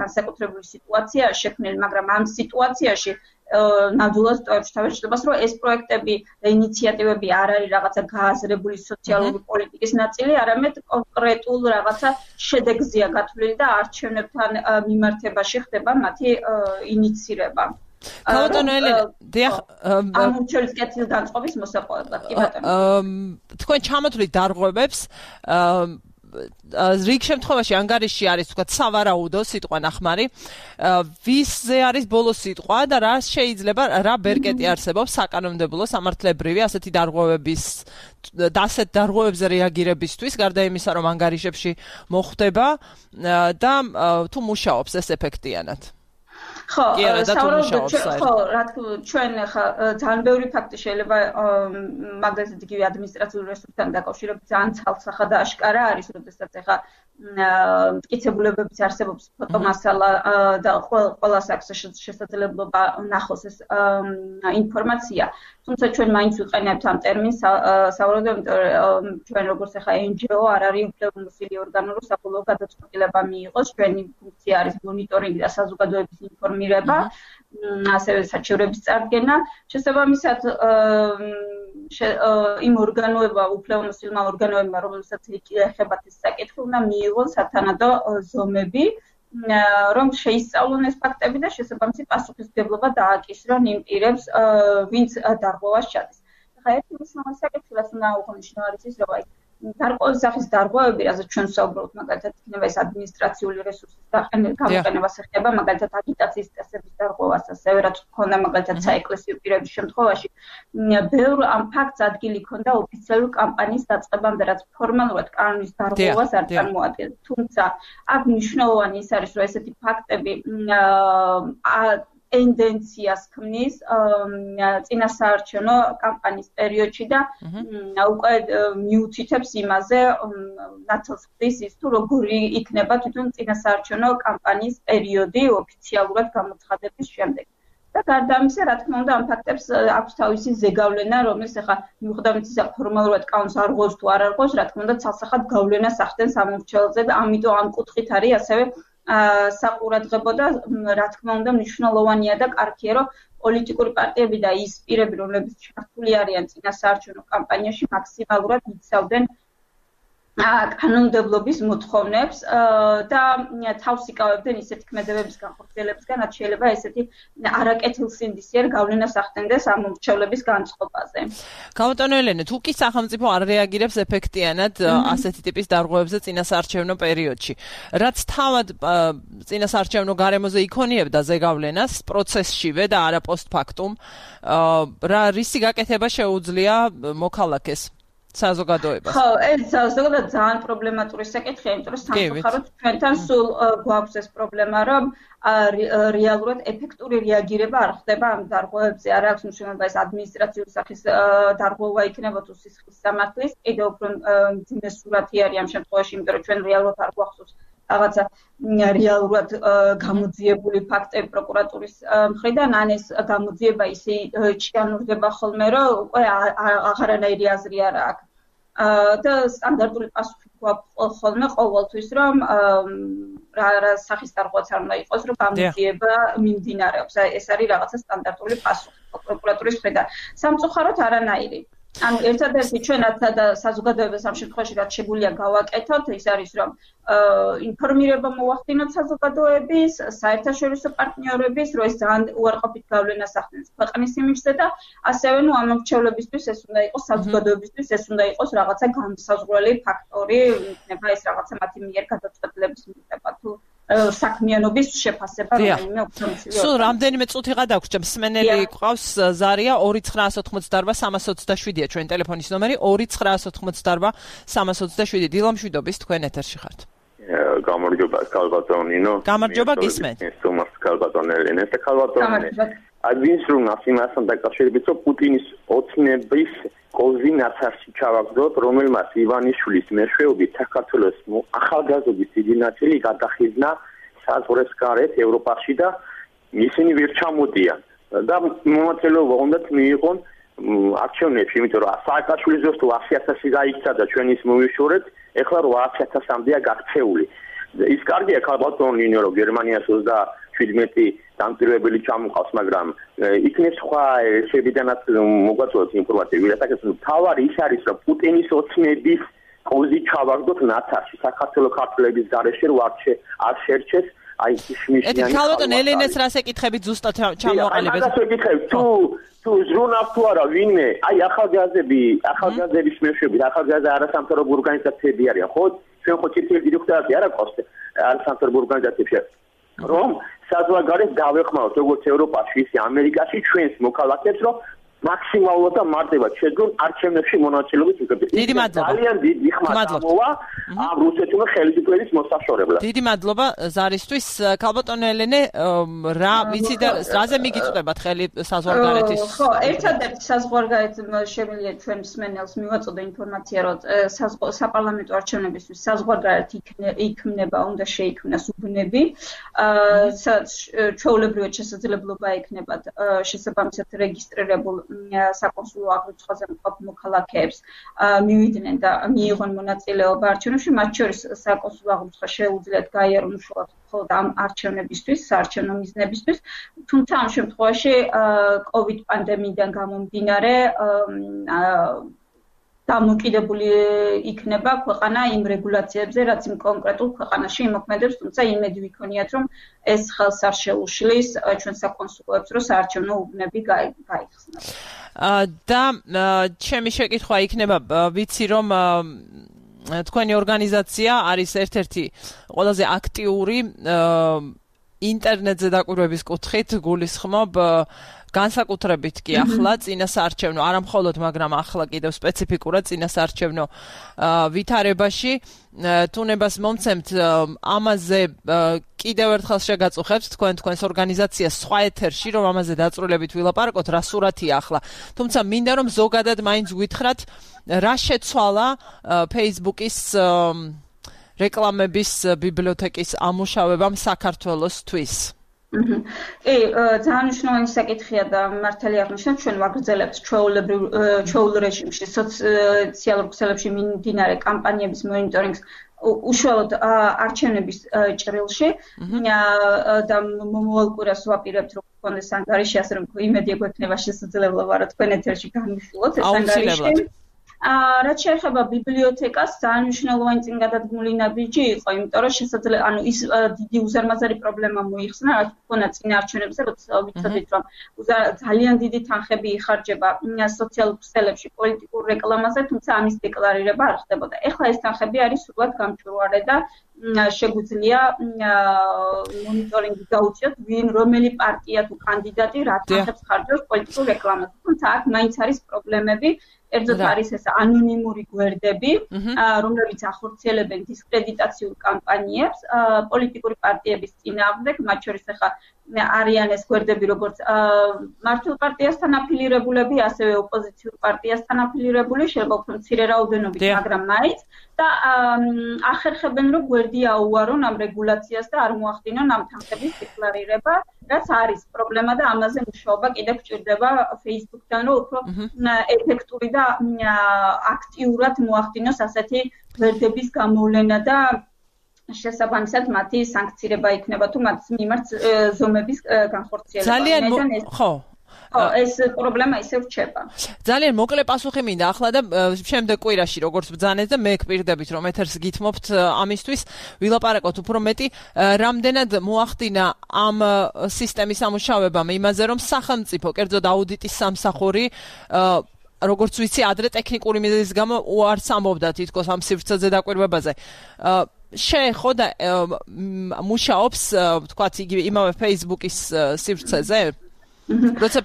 განსაკუთრებული სიტუაციაა შექმნილი, მაგრამ ამ სიტუაციაში ნამდვილად ტოვებს თავშესაფრებას, რომ ეს პროექტები და ინიციატივები არ არის რაღაცა გააზრებული სოციალური პოლიტიკის ნაწილი, არამედ კონკრეტულ რაღაცა შედეგზეა გათვლილი და არჩევნებთან მიმართებაში ხდება მათი ინიცირება. ბატონო ელენე, დიახ, ამ მრჩევლის კეთილგანწყობის მოსაპოვებლად. კი ბატონო. თქვენ ჩამოთვლით დარღვევებს რიგ შემთხვევაში ანგარიში არის თქვა სავარაუდო სიტყვა ნახმარი ვისზე არის ბოლო სიტყვა და რა შეიძლება რა ბერკეტი არსებობს საკანონმდებლო სამართლებრივი ასეთი დარღვევების და ასეთ დარღვევებზე რეაგირებისთვის გარდა იმისა რომ ანგარიშებში მოხდება და თუ მუშაობს ეს ეფექტიანად ხო, საუბრობთ ხო, რა თქმა ჩვენ ხა ძალიან ბევრი ფაქტი შეიძლება მაგალითად იგივე ადმინისტრაციული რესურსთან დაკავშირებით ძალიან ცალსახა და აშკარა არის, როდესაც ხა მტკიცებულებების არსებობს ფოტომასალა და ყველას აქვს შესაძლებლობა ნახოს ეს ინფორმაცია. თუმცა ჩვენ მაინც ვიყენებთ ამ ტერმინს საუბრობთ, ჩვენ როგორც ხა ენ ჯი ო არ არის უფლებამოსილი ორგანო, რომ საბოლოო გადაწყვეტილება მიიღოს. ჩვენი ფუნქცია არის მონიტორინგი და საზოგადოების ინფორმირება, ასევე საჩივრების წარდგენა. შესაბამისად იმ ორგანოებმა, უფლებამოსილმა ორგანოებმა, რომელსაც ეხებათ ეს საკითხი, უნდა მიიღონ სათანადო ზომები, რომ შეისწავლონ ეს ფაქტები და შესაბამისი პასუხისმგებლობა დააკისრონ იმ პირებს, ვინც დარღვევას ჩადის. ხა ერთი მნიშვნელოვანი საკითხი რაც უნდა აღვნიშნო არის ის რომ აი გარკვეული სახის დარღვევები, რაზეც ჩვენ ვსაუბრობთ, მაგალითად, იქნება ეს ადმინისტრაციული რესურსის გამოყენებას ეხება, მაგალითად, აგიტაციის წესების დარღვევას, ასევე რაც ჰქონდა მაგალითად საეკლესიო პირების შემთხვევაში, ბევრ ამ ფაქტს ადგილი ჰქონდა ოფიციალური კამპანიის დაწყებამდე, რაც ფორმალურად კანონის დარღვევას არ წარმოადგენს. თუმცა, აქ მნიშვნელოვანი ის არის, რომ ესეთი ფაქტები ტენდენციას ქმნის წინასაარჩევნო კამპანიის პერიოდში და უკვე მიუთითებს იმაზე ნათელს ხდის ის თუ როგორი იქნება თვითონ წინასაარჩევნო კამპანიის პერიოდი ოფიციალურად გამოცხადების შემდეგ. და გარდა ამისა, რა თქმა უნდა, ამ ფაქტებს აქვს თავისი ზეგავლენა, რომელიც ახლა მიუხედავად ისა ფორმალურად კანონს არ ღვევს თუ არ არღვევს, რა თქმა უნდა, ცალსახად გავლენას ახდენს ამ მრჩეველზე და ამიტომ ამ კუთხით არის ასევე საყურადღებო და რა თქმა უნდა მნიშვნელოვანია და კარგია რომ პოლიტიკური პარტიები და ის პირები რომლებიც ჩართული არიან წინასაარჩევნო კამპანიაში მაქსიმალურად იცავდნენ კანონმდებლობის მოთხოვნებს და თავს იკავებდნენ ისეთი ქმედებების განხორციელებისგან, რაც შეიძლება ესეთი არაკეთილსინდისიერ გავლენას ახდენდეს ამ მომრჩევლების განწყობაზე. გამოტანო ელენე, თუ კი სახელმწიფო არ რეაგირებს ეფექტიანად ასეთი ტიპის დარღვევებზე წინასაარჩევნო პერიოდში, რაც თავად წინასაარჩევნო გარემოზე იქონიებდა ზეგავლენას პროცესშივე და არა პოსტფაქტუმ, რა რისი გაკეთება შეუძლია მოქალაქეს? საზოგადოებას. ხო, ეს ზოგადად ძალიან პრობლემატური საკითხია, იმიტომ რომ სამწუხაროდ ჩვენთან სულ გვაქვს ეს პრობლემა, რომ რეალურად ეფექტური რეაგირება არ ხდება ამ დარღვევებზე. არ აქვს მნიშვნელობა ეს ადმინისტრაციული სახის დარღვევა იქნება თუ სისხლის სამართლის, კიდევ უფრო მძიმე სურათი არის ამ შემთხვევაში, იმიტომ რომ ჩვენ რეალურად არ გვახსოვს რაღაცა რეალურად გამოძიებული ფაქტები პროკურატურის მხრიდან, ან ეს გამოძიება ისე ჩიანურდება ხოლმე, რომ უკვე აღარანაირი აზრი არ აქვს. და სტანდარტული პასუხი გვაქვს ხოლმე ყოველთვის, რომ რა რა სახის დარღვევაც არ უნდა იყოს, რომ გამოძიება მიმდინარეობს. ეს არის რაღაცა სტანდარტული პასუხი პროკურატურის მხრიდან. სამწუხაროდ არანაირი. ანუ ერთადერთი ჩვენაც და საზოგადოებას ამ შემთხვევაში რაც შეგვიძლია გავაკეთოთ, ის არის რომ ინფორმირება მოვახდინოთ საზოგადოების, საერთაშორისო პარტნიორების, რომ ეს ძალიან უარყოფით გავლენას ახდენს ქვეყნის იმიჯზე და ასევე ნუ ამ მრჩევლებისთვის ეს უნდა იყოს საზოგადოებისთვის, ეს უნდა იყოს რაღაცა განსაზღვრელი ფაქტორი, იქნება ეს რაღაცა მათი მიერ გადაწყვეტილების მიღება თუ საქმიანობის შეფასება რაიმე ოფიციალური. სულ რამდენიმე წუთიღა დაგვრჩა, მსმენელი ყავს ზარია ორი ცხრაას ოცდაოთხმოცდაარბა სამას ოცდაშვიდია ჩვენ ტელეფონის ნომერი ორი ცხრაას ოცდაოთხმოცდაარბა სამას ოცდაშვიდი. დილა მშვიდობის, თქვენ ეთერში ხართ. გამარჯობა ქალბატონინო. გამარჯობა გისმენთ. სუმას ქალბატონელენე და ქალბატონელენე. აგვინს რომ ასიმასთან დაკავშირებით რომ პუტინის ოცნების კოზინაცარში ჩავაგდოთ, რომელმაც ივანიშვილის მეშვეობით საქართველოს ახალგაზრდობის დიდი ნაწილი გადახიზნა საზღვრებს გარეთ ევროპაში და ისინი ვერ ჩამოდიან და მომაწელეობა უნდათ მიიღონ არჩევნებში, იმიტომ რომ სააკაშვილის დროს თუ ასი ათასი გაიქცა და ჩვენ ის მოვიშორეთ, ეხლა რვაას ათასამდეა გაქცეული. ის კარგია ქალბატონინო, რომ გერმანიას ოცდაშვიდმეტი დამკვირვებელი ჩამოყავს, მაგრამ იქნებ სხვა შეებიდანაც მოგვაწოდოთ ინფორმაცია, ვიღაცას თავარი ის არის, რომ პუტინის ოცნების კოზი ჩავაგდოთ ნაცარში, საქართველოს ქართველების გარეშე რო არ შერჩეს, აი შმიშიანი. ეთი ქალბატონ ელენეს რას ეკითხებით ზუსტად ჩამოყალიბეთ? აი, ეკითხებით, თუ თუ ზრუნავს თუ არა ვინმე, აი ახალგაზრდები, ახალგაზრდების მეშვეობით, ახალგაზრდა არასამთავრობო ორგანიზაციები არიან, ხო? ჩვენ ხო ცირკული დირექტორატი არა ყავს არასამთავრობო ორგანიზაციებში. რომ საზღვარგარეთ დავეხმაროთ როგორც ევროპაში, ისე ამერიკაში ჩვენს მოქალაქეებს, რომ მაქსიმალურად და მარტივად შეძლონ არჩევნებში მონაწილეობის მიღება. დიდი მადლობა. ძალიან დიდი ხმა გამოვა ამ რუსეთმა ხელისუფლების მოსაშორებლად. დიდი მადლობა ზარისთვის. ქალბატონო ელენე, რა ვიცი და რაზე მიგიწვდებათ ხელი საზღვარგარეთის? ხო, ერთადერთი საზღვარგარეთ შემიძლია ჩვენ მსმენელს მივაწოდო ინფორმაცია, რომ საპარლამენტო არჩევნებისთვის საზღვარგარეთ იქმნება, უნდა შეიქმნას უბნები, სადაც ჩვეულებრივად შესაძლებლობა ექნებათ შესაბამისად რეგისტრირებულ საკონსულო აღრიცხვაზე მყოფ მოქალაქეებს მივიდნენ და მიიღონ მონაწილეობა არჩევნებში, მათ შორის საკონსულო აღრიცხვა შეუძლიათ გაიარონ უშუალოდ მხოლოდ ამ არჩევნებისთვის, საარჩევნო მიზნებისთვის, თუმცა ამ შემთხვევაში კოვიდ პანდემიიდან გამომდინარე დამოკიდებული იქნება ქვეყანა იმ რეგულაციებზე, რაც იმ კონკრეტულ ქვეყანაში იმოქმედებს, თუმცა იმედი ვიქონიათ, რომ ეს ხელს არ შეუშლის ჩვენ საკონსულოებს, რომ საარჩევნო უბნები გაიხსნას. და ჩემი შეკითხვა იქნება, ვიცი რომ თქვენი ორგანიზაცია არის ერთ-ერთი ყველაზე აქტიური ინტერნეტზე დაკვირვების კუთხით გულისხმობ განსაკუთრებით კი ახლა წინასაარჩევნო, არა მხოლოდ, მაგრამ ახლა კიდევ სპეციფიკურად წინასაარჩევნო ვითარებაში თუნებას მომცემთ ამაზე კიდევ ერთხელ შეგაწუხებთ თქვენ თქვენს ორგანიზაციას სხვა ეთერში, რომ ამაზე დაწვრილებით ვილაპარაკოთ, რა სურათია ახლა. თუმცა მინდა რომ ზოგადად მაინც გითხრათ, რა შეცვალა Facebook-ის რეკლამების ბიბლიოთეკის ამუშავებამ საქართველოსთვის. კი, ძალიან მნიშვნელოვანი საკითხია და მართალი აღნიშნავთ, ჩვენ ვაგრძელებთ ჩვეულ რეჟიმში სოციალურ ქსელებში მიმდინარე კამპანიების მონიტორინგს უშუალოდ არჩევნების ჭრილში და მომავალ კვირას ვაპირებთ, რომ გქონდეს ანგარიში, ასე რომ იმედია გვექნება შესაძლებლობა, რომ თქვენ ეთერში განვიხილოთ ეს ანგარიში. რაც შეეხება ბიბლიოთეკას, ძალიან მნიშვნელოვანი წინგადადგმული ნაბიჯი იყო, იმიტომ რომ შესაძლოა, ანუ ის დიდი უზარმაზარი პრობლემა მოიხსნა, რაც ქონა წინაარჩევნებზე, როცა ვიცოდით, რომ ძალიან დიდი თანხები იხარჯება სოციალურ ქსელებში პოლიტიკურ რეკლამაზე, თუმცა ამის დეკლარირება არ ხდებოდა. ეხლა ეს თანხები არის სულად გამჭვირვალე და შეგვიძლია მონიტორინგი გაუწიოთ, ვინ რომელი პარტია თუ კანდიდატი რა თანხებს ხარჯავს პოლიტიკურ რეკლამაზე. თუმცა აქ მაინც არის პრობლემები. ერთად არის ეს ანონიმური გვერდები, რომლებიც ახორციელებენ დისკრედიტაციულ კამპანიებს პოლიტიკური პარტიების წინააღმდეგ, მათ შორის ახლა არიან ეს გვერდები, როგორც მართლ პარტიასთან აფილირებულები, ასევე ოპოზიციურ პარტიასთან აფილირებული, შეიძლება უფრო მცირე რაოდენობით, მაგრამ მაინც და ახერხებენ, რომ გვერდი აუარონ ამ რეგულაციას და არ მოახდინონ ამ თანხების დეკლარირება, რაც არის პრობლემა და ამაზე მუშაობა კიდევ გვჭირდება Facebook-თან, რომ უფრო ეფექტური და აქტიურად მოახდინოს ასეთი გვერდების გამოვლენა და შესაბამისად მათი სანქცირება იქნება თუ მათ მიმართ ზომების განხორციელება. ძალიან ხო ეს პრობლემა ისე რჩება. ძალიან მოკლე პასუხი მინდა ახლა და შემდეგ კვირაში როგორც ბრძანეთ და მე გპირდებით რომ ეთერს გითმობთ ამისთვის ვილაპარაკოთ უფრო მეტი რამდენად მოახდინა ამ სისტემის ამუშავებამ იმაზე რომ სახელმწიფო კერძოდ აუდიტის სამსახური როგორც ვიცი ადრე ტექნიკური მიზეზის გამო უარს ამბობდა თითქოს ამ სივრცეზე დაკვირვებაზე შეეხო და მუშაობს თქვათ იგივე იმავე Facebook-ის სივრცეზე როცა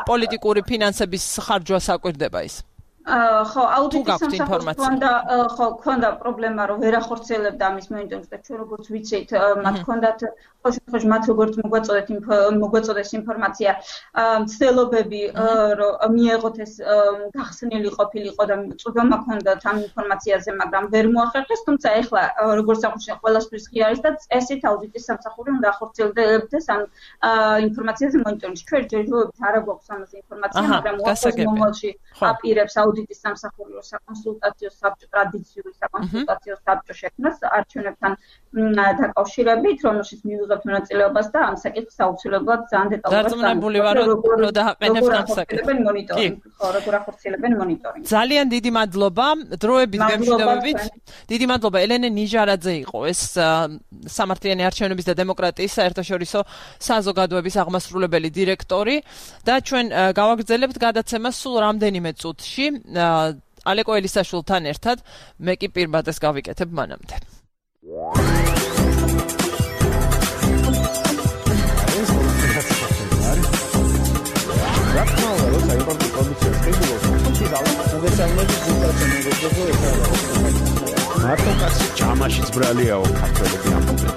პოლიტიკური ფინანსების ხარჯვა საკვირდება ის. ხო, აუდიტის სამსახურს ქონდა, ხო, ქონდა პრობლემა, რომ ვერ ახორციელებდა ამის მონიტორინგს და ჩვენ როგორც ვიცით, მათ ქონდათ ხო, მათ როგორც მოგვაწოდეთ მოგვაწოდეს ინფორმაცია, მცდელობები, რომ მიეღოთ ეს გახსნილი ყოფილიყო და წვდომა ქონდათ ამ ინფორმაციაზე, მაგრამ ვერ მოახერხეს, თუმცა ეხლა როგორც აღნიშნე, ყველასთვის ღია არის და წესით აუდიტის სამსახური უნდა ახორციელებდეს ამ ინფორმაციაზე მონიტორინგს. ჩვენ ჯერჯერობით არ გვაქვს ამაზე ინფორმაცია, მაგრამ მომავალში აპირებს აუდიტის სამსახური რო საკონსულტაციო საბჭო ტრადიციული საკონსულტაციო საბჭო შექმნას არჩევნებთან დაკავშირებით, რომელშიც მივიღებთ მონაწილეობას და ამ საკითხს აუცილებლად ძალიან დეტალურად დარწმუნებული ვარ რომ დააყენებთ ამ საკითხს. ხო, როგორ ახორციელებენ მონიტორინგს. ძალიან დიდი მადლობა დროებით გემშვიდობებით. დიდი მადლობა ელენე ნიჟარაძე იყო ეს სამართლიანი არჩევნების და დემოკრატიის საერთაშორისო საზოგადოების აღმასრულებელი დირექტორი და ჩვენ გავაგრძელებთ გადაცემას სულ რამდენიმე წუთში ალეკო ელისაშვილთან ერთად მე კი პირბადეს გავიკეთებ მანამდე. მარტო კაცი ჯამაშიც ბრალიაო ქართველები ამბობენ.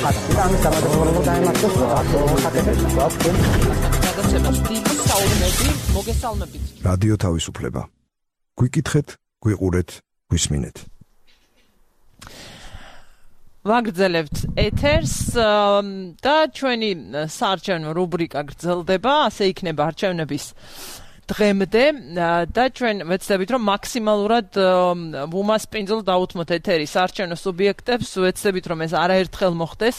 ამის სამადლობო დაემართოს მოგესალმებით. რადიო თავისუფლება. გვიკითხეთ, გვიყურეთ, გვისმინეთ. ვაგრძელებთ ეთერს და ჩვენი საარჩევნო რუბრიკა გრძელდება, ასე იქნება არჩევნების დღემდე და ჩვენ ვეცდებით რომ მაქსიმალურად ვუმასპინძლოთ დაუთმოთ ეთერის არჩევნო სუბიექტებს, ვეცდებით რომ ეს არაერთხელ მოხდეს.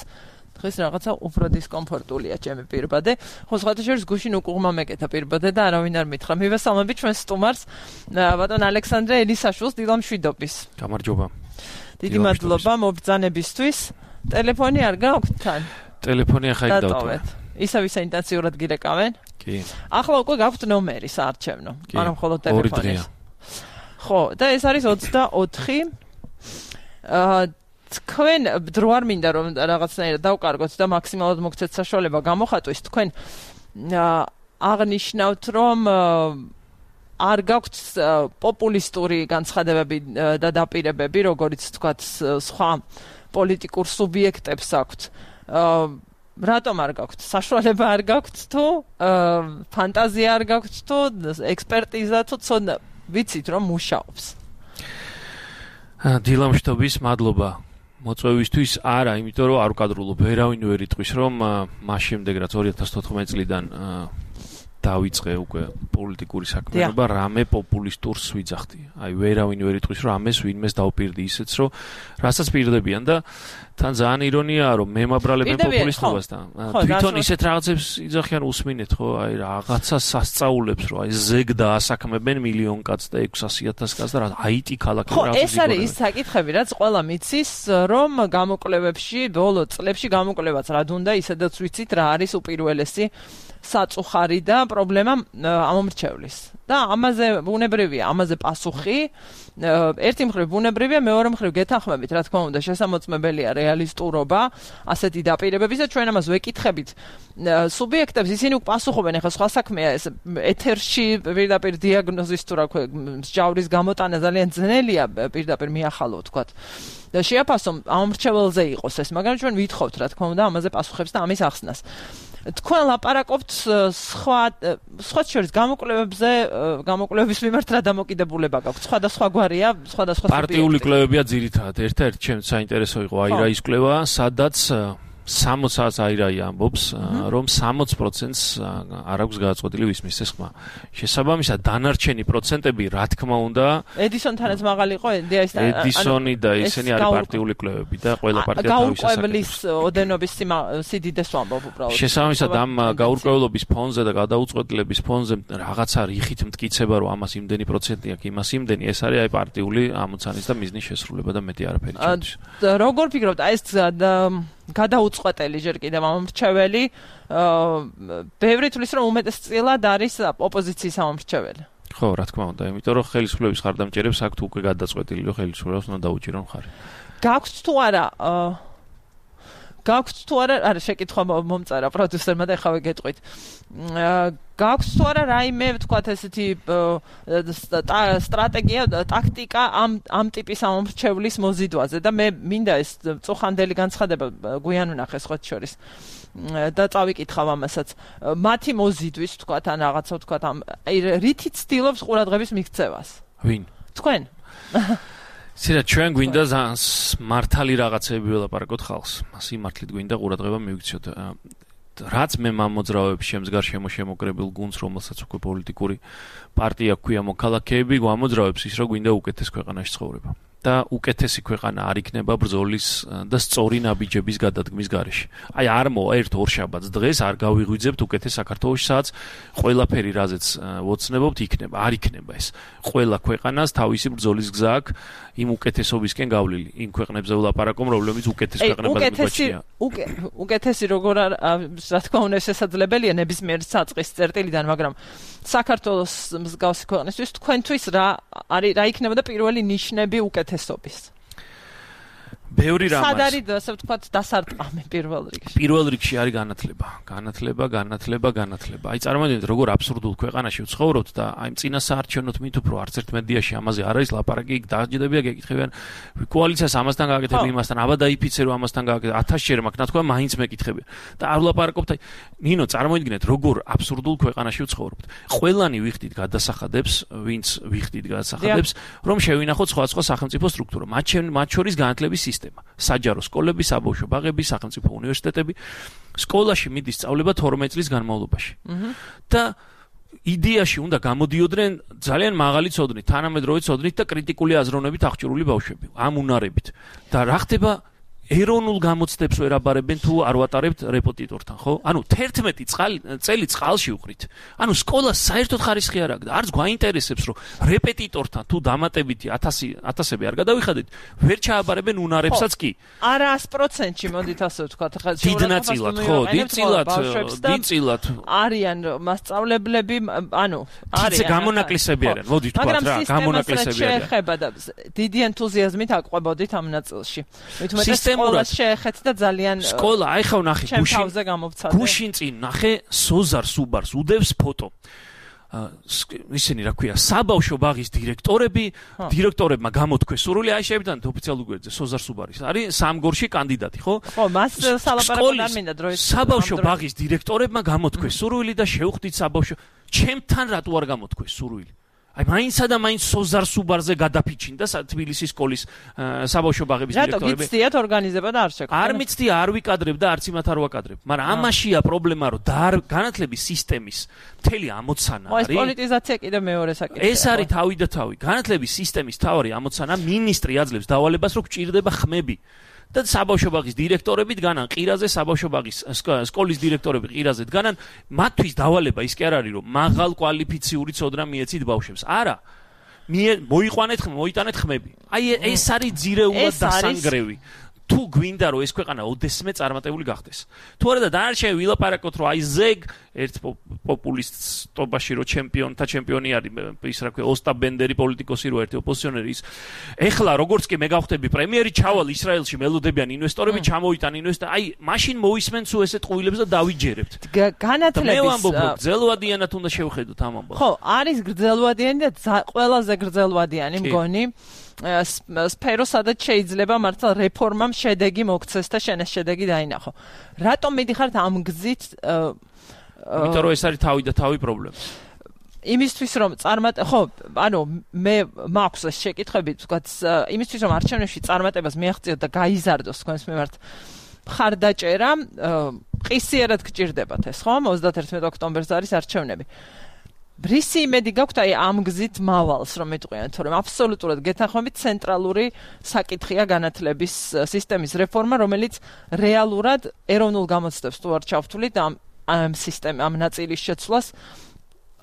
დღეს რაღაცა უფრო დისკომფორტულია ჩემი პირბადე. ხო, სხვათა შორის გუშინ უკუღმა მეკეთა პირბადე და არავინ არ მითხრა. მივესალმებით ჩვენ სტუმარს, ბატონ ალექსანდრე ელისაშვილს დილამშვიდობის. გამარჯობა. დიდი მადლობა მობრძანებისთვის. ტელეფონი არ გაქვთ თან? ტელეფონი ახლა იქ დავთვალე. ისევ ისე ინტენსიურად გირეკავენ? კი. ახლა უკვე გაქვთ ნომერი საარჩევნო, ანუ მხოლოდ ტელეფონის. ხო, და ეს არის ოცდაოთხი. აა თქვენ დრო არ მინდა რომ რაღაცნაირად დავკარგოთ და მაქსიმალურად მოგცეთ საშუალება გამოხატვის, თქვენ აღნიშნავთ რომ არ გაქვთ პოპულისტური განცხადებები და დაპირებები, როგორც თქვათ სხვა პოლიტიკურ სუბიექტებს აქვთ. რატომ არ გაქვთ? საშუალება არ გაქვთ თუ ფანტაზია არ გაქვთ თუ ექსპერტიზა თუ ცოდნა ვიცით რომ მუშაობს? დილამშტობის მადლობა. მოწვევისთვის არა, იმიტომ რომ არ ვკადრულობ, ვერავინ ვერ იტყვის რომ მას შემდეგ რაც ორი ათას თოთხმეტი წლიდან დავიწყე უკვე პოლიტიკური საქმიანობა, რამე პოპულისტურს ვიძახდი. აი ვერავინ ვერ იტყვის რომ ამეს ვინმეს დავპირდი ისეც რომ რასაც პირდებიან და თან ძალიან ირონიაა რომ მემაბრალებენ პოპულისტობასთან. თვითონ ისეთ რაღაცებს იძახიან უსმინეთ ხო? აი რაღაცა სასწაულებს რომ აი ზეგ დაასაქმებენ მილიონ კაცს და ექვსასი ათას კაცს და რა აიტი ქალაქი რაღაცა. ხო, ეს არის ის საკითხები, რაც ყველა მიცის რომ გამოკვლევებში, ბოლო წლებში გამოკვლევაც რა დუნდა, ისედაც ვიცით რა არის უპირველესი საწუხარი და პრობლემა ამომრჩევლის. და ამაზე ბუნებრივია, ამაზე პასუხი. ერთი მხრივ ბუნებრივია, მეორე მხრივ გეთანხმებით, რა თქმა უნდა, შესამოწმებელია რეალისტურობა, ასეთი დაპირებების და ჩვენ ამას ვეკითხებით სუბიექტებს, ისინი უკვე პასუხობენ, ახლა სხვა საქმეა ეს ეთერში პირდაპირ დიაგნოზის თუ რა ქვია, მსჯავრის გამოტანა ძალიან ძნელია პირდაპირ მიახალო თქვათ. და შეაფასო ამომრჩეველზე იყოს ეს, მაგრამ ჩვენ ვითხოვთ, რა თქმა უნდა, ამაზე პასუხებს და ამის ახსნას. თქვენ ლაპარაკობთ სხვა სხვა შორის გამოკვლევებზე, გამოკვლევების მიმართ რა დამოკიდებულება გაქვთ? სხვადასხვა გვარია, სხვადასხვა პარტიული კვლევებია ძირითადად. ერთ-ერთი ჩემს საინტერესო იყო აირა ის კვლევა, სადაც სამოცს აირაი ამბობს, რომ სამოც პროცენტს არ აქვს გადაწყვეტილი ვისმის ეს ხმა. შესაბამისად, დანარჩენი პროცენტები, რა თქმა უნდა, ედისონთანაც მაღალი იყო, ედისონი და ისინი არის პარტიული კვლევები და ყველა პარტია თავის გაურკვევლის ოდენობის სიდიდეს ვამბობ უბრალოდ. შესაბამისად, ამ გაურკვევლობის ფონზე და გადაუწყვეტილების ფონზე რაღაცა რიხით მტკიცება, რომ ამას იმდენი პროცენტი აქვს, იმას იმდენი, ეს არის აი პარტიული ამოცანის და მიზნის შესრულება და მეტი არაფერი ჩემთვის. როგორ ფიქრობთ, აი ეს გადაუწყვეტელი ჯერ კიდევ ამომრჩეველი, ბევრი თვლის რომ უმეტესწილად არის ოპოზიციის ამომრჩეველი. ხო, რა თქმა უნდა, იმიტომ რომ ხელისუფლების ხარდამჭერებს აქვთ უკვე გადაწყვეტილი, რომ ხელისუფლებას უნდა დაუჭირონ ხარი. გაქვთ თუ არა გაქვთ თუ არა, არა შეკითხვა მომწერა პროდიუსერმა და ეხავე გეტყვით. გაქვთ თუ არა რაიმე, თქვათ ესეთი სტრატეგია, ტაქტიკა ამ ამ ტიპის ამომრჩევლის მოზიდვაზე და მე მინდა ეს წუხანდელი განცხადება გვიან ვნახე სხვა შორის. და წავიკითხავ ამასაც. მათი მოზიდვის, თქვათ, ან რაღაცა, თქვათ, ამ რითიც ცდილობს ყურადღების მიქცევას? ვინ? თქვენ. სირა ჩვენ გვინდა მართალი რაღაცები ველაპარაკოთ ხალხს. სიმართლით გვინდა ყურადღება მივიქცოთ. რაც მე მამოძრავებს შემდგარ შემოშემოკრებილ გუნდს, რომელსაც უკვე პოლიტიკური პარტია ჰქვია მოქალაქეები, გვამოძრავებს ის, რომ გვინდა უკეთეს ქვეყანაში ცხოვრება. და უკეთესი ქვეყანა არ იქნება ბრძოლის და სწორი ნაბიჯების გადადგმის გარეშე. აი არ მოვა ერთ ორ შაბათს დღეს არ გავიღვიძებთ უკეთეს საქართველოში, სადაც ყველაფერი რაზეც ვოცნებობთ იქნება, არ იქნება ეს. ყველა ქვეყანას თავისი ბრძოლის გზა აქვს იმ უკეთესობისკენ გავლილი. იმ ქვეყნებზე ვლაპარაკობ, რომლებიც უკეთეს ქვეყნებად მიგვაჩნია. უკეთესი როგორ რა თქმა უნდა შესაძლებელია ნებისმიერ საწყის წერტილიდან, მაგრამ საქართველოს მსგავსი ქვეყნისთვის თქვენთვის რა არის რა იქნება და პირველი ნიშნები უკეთესობის? ბევრი რამას. სად არის ასე ვთქვათ დასარტყამი პირველ რიგში? პირველ რიგში არის განათლება. განათლება, განათლება, განათლება. აი წარმოვიდგინეთ როგორ აბსურდულ ქვეყანაში ვცხოვრობთ და აი წინა საარჩევნოთ მით უფრო არც ერთ მედიაში ამაზე არ არის ლაპარაკი, დაჯდებია გეკითხებიან კოალიციას ამასთან გააკეთებდი იმასთან, აბა დაიფიცერო ამასთან გააკეთე ათასჯერ მაგ ნათქვა მაინც მეკითხებიან. და არ ვლაპარაკობთ აი ნინო წარმოვიდგინეთ როგორ აბსურდულ ქვეყანაში ვცხოვრობთ. ყველანი ვიხდით გადასახადებს, ვინც ვიხდით გადასახადებს, რომ შევინახოთ სხვადასხვა სახელმწიფო სტრუქტურა. მათ შორის განათლების სისტემა. საჯარო სკოლები, საბავშვო ბაღები, სახელმწიფო უნივერსიტეტები. სკოლაში მიდის სწავლება თორმეტ წლის განმავლობაში. და იდეაში უნდა გამოდიოდნენ ძალიან მაღალი ცოდნით, თანამედროვე ცოდნით და კრიტიკული აზროვნებით აღჭურვილი ბავშვები, ამ უნარებით. და რა ხდება ეროვნულ გამოცდებს ვერ აბარებენ თუ არ ვატარებთ რეპეტიტორთან, ხო? ანუ თერთმეტი წელი წყალში უყრით. ანუ სკოლა საერთოდ ხარისხი არ აქვს და არც გვაინტერესებს, რომ რეპეტიტორთან თუ დამატებითი ათასები არ გადავიხადეთ, ვერ ჩააბარებენ უნარებსაც კი. არა sto procenti მოდით ასე ვთქვათ, ხა დიდნაწილად, ხო, დიდწილად, დიდწილად არიან მასწავლებლები, ანუ არიან გამონაკლისები არიან, მოდით ვთქვათ რა, გამონაკლისები არიან. შეეხება და დიდი ენთუზიაზმით აყვებოდით ამ ნაწილში. სკოლას შეეხეთ და ძალიან სკოლა, აი ხა ვნახე გუშინ გუშინ წინ ნახე სოზარ სუბარს უდევს ფოტო. ისინი რა ქვია, საბავშვო ბაღის დირექტორები, დირექტორებმა გამოთქვეს სურვილი, აი შეებდანთ ოფიციალურ გვერდზე სოზარ სუბარის. არის სამგორში კანდიდატი, ხო? ხო, მას სალაპარაკო არ მინდა დროის. საბავშვო ბაღის დირექტორებმა გამოთქვეს სურვილი და შევხვდით საბავშვო. ჩემთან რატო არ გამოთქვეს სურვილი? აი მაინცსა და მაინც სოზარ სუბარზე გადაფიჩინდა თბილისის სკოლის საბავშვო ბაღების დირექტორები. რატო გიცდიათ ორგანიზება და არ შეგვიძლია? არ მიცდია, არ ვიკადრებ და არც იმათ არ ვაკადრებ. მაგრამ ამაშია პრობლემა, რომ განათლების სისტემის მთელი ამოცანა არის. ეს პოლიტიზაცია კიდე მეორე საკითხია. ეს არის თავი და თავი. განათლების სისტემის თავი ამოცანა მინისტრი აძლევს დავალებას, რომ გჭირდება ხმები. და საბავშვო ბაღის დირექტორები დგანან ყირაზე, საბავშვო ბაღის სკოლის დირექტორები ყირაზე დგანან, მათთვის დავალება ის კი არ არის, რომ მაღალ კვალიფიციური ცოდნა მიეცით ბავშვებს. არა. მოიყვანეთ, მოიტანეთ ხმები. აი ეს არის ძირეულად დასანგრევი. თუ გვინდა რომ ეს ქვეყანა ოდესმე წარმატებული გახდეს. თუ არა და დანარჩენი ვილაპარაკოთ რომ აი ზეგ ერთ პოპულისტობაში რომ ჩემპიონთა ჩემპიონი არის ის რა ქვია ოსტაპ ბენდერი პოლიტიკოსი რო ერთი ოპოზიციონერი ის. ეხლა როგორც კი მე გავხდები პრემიერი ჩავალ ისრაელში მელოდებიან ინვესტორები ჩამოიტან ინვესტორ აი მაშინ მოისმენ თუ ესეთ ყვილებს და დავიჯერებთ. განათლების მე ვამბობ რომ გრძელვადიანად უნდა შევხედოთ ამ ამბავს. ხო, არის გრძელვადიანი და ყველაზე გრძელვადიანი მგონი სფერო, სადაც შეიძლება მართლა რეფორმამ შედეგი მოგცეს და შენ ეს შედეგი დაინახო. რატომ მიდიხართ ამ გზით? იმიტომ რომ ეს არის თავი და თავი პრობლემა. იმისთვის რომ წარმატ ხო, ანუ მე მაქვს ეს შეკითხები, თქვათ, იმისთვის რომ არჩევნებში წარმატებას მიაღწიოთ და გაიზარდოს თქვენს მიმართ მხარდაჭერა, ყისიერად გჭირდებათ ეს, ხო? ოცდაათერთმეტ ოქტომბერს არის არჩევნები. რისი იმედი გაქვთ აი ამ გზით მავალს რომ მეტყვიან, თორემ აბსოლუტურად გეთანხმებით ცენტრალური საკითხია განათლების სისტემის რეფორმა, რომელიც რეალურად ეროვნულ გამოცდებს თუ არ ჩავთვლით ამ ამ სისტემ ამ ნაწილის შეცვლას.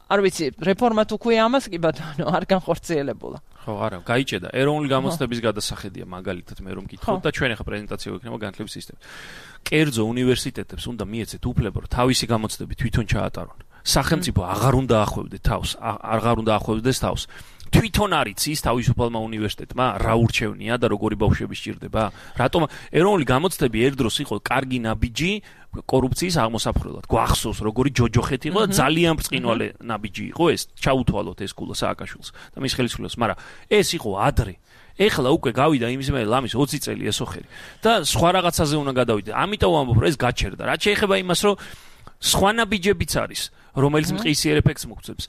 არ ვიცი, რეფორმა თუ ქვია ამას, კი ბატონო, არ განხორციელებულა. ხო, არა, გაიჭედა. ეროვნული გამოცდების გადასახედია მაგალითად მე რომ გითხოთ და ჩვენ ახლა პრეზენტაცია გვექნება განათლების სისტემის. კერძო უნივერსიტეტებს უნდა მიეცეთ უფლება, რომ თავისი გამოცდები თვითონ ჩაატარონ. სახელმწიფო აღარ უნდა ახვევდეს თავს, აღარ უნდა ახვევდეს თავს. თვითონ არის ის თავისუფალმა უნივერსიტეტმა რა ურჩევნია და როგორი ბავშვები სჭირდება? რატომ ეროვნული გამოცდები ერთდროს იყო კარგი ნაბიჯი კორუფციის აღმოსაფხვრელად. გვახსოვს როგორი ჯოჯოხეთი იყო და ძალიან ბრწყინვალე ნაბიჯი იყო ეს. ჩაუთვალოთ ეს კულა სააკაშვილს და მის ხელისუფლებას, მაგრამ ეს იყო ადრე. ეხლა უკვე გავიდა იმის მე ლამის ოცი წელი ესოხერი და სხვა რაღაცაზე უნდა გადავიდე. ამიტომ ვამბობ რომ ეს გაჩერდა. რაც შეეხება იმას რომ სხვა ნაბიჯებიც არის, რომელიც მყისიერ ეფექტს მოგცემს.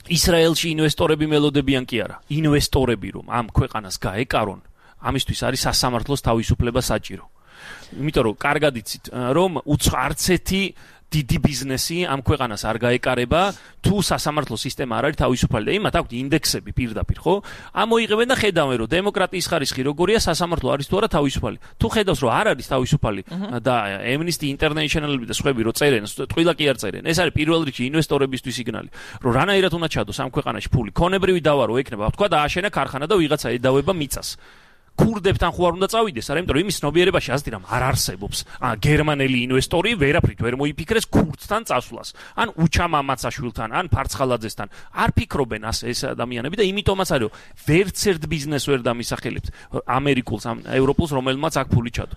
ისრაელში ინვესტორები მელოდებიან კი არა. ინვესტორები რომ ამ ქვეყანას გაეკარონ, ამისთვის არის სასამართლოს თავისუფლება საჭირო. იმიტომ რომ კარგად იცით რომ არც ერთი დიდი ბიზნესი ამ ქვეყანას არ გაეკარება, თუ სასამართლო სისტემა არ არის თავისუფალი და იმათ აქვთ ინდექსები პირდაპირ, ხო? ამოიღებენ და ხედავენ რომ დემოკრატიის ხარისხი როგორია, სასამართლო არის თუ არა თავისუფალი. თუ ხედავს რომ არ არის თავისუფალი და Amnesty International-ები და სხვები რო წერენ, ტყილა კი არ წერენ. ეს არის პირველ რიგში ინვესტორებისთვის სიგნალი, რომ რანაირად უნდა ჩადოს ამ ქვეყანაში ფული. ქონებრივი დავა რო ექნება, თქვა დააშენა ქარხანა და ვიღაცა ედავება მიწას. ქურდებთან ხო არ უნდა წავიდეს, არა, იმიტომ რომ იმის ცნობიერებაში ასეთი რამ არ არსებობს. ან გერმანელი ინვესტორი ვერაფრით ვერ მოიფიქრეს ქურდთან წასვლას. ან უჩამ ამაცაშვილთან, ან ფარცხალაძესთან. არ ფიქრობენ ასე ეს ადამიანები და იმიტომაც არის, ვერც ერთ ბიზნესს ვერ დამისახელებთ ამერიკულს, ამ ევროპულს, რომელმაც აქ ფული ჩადო.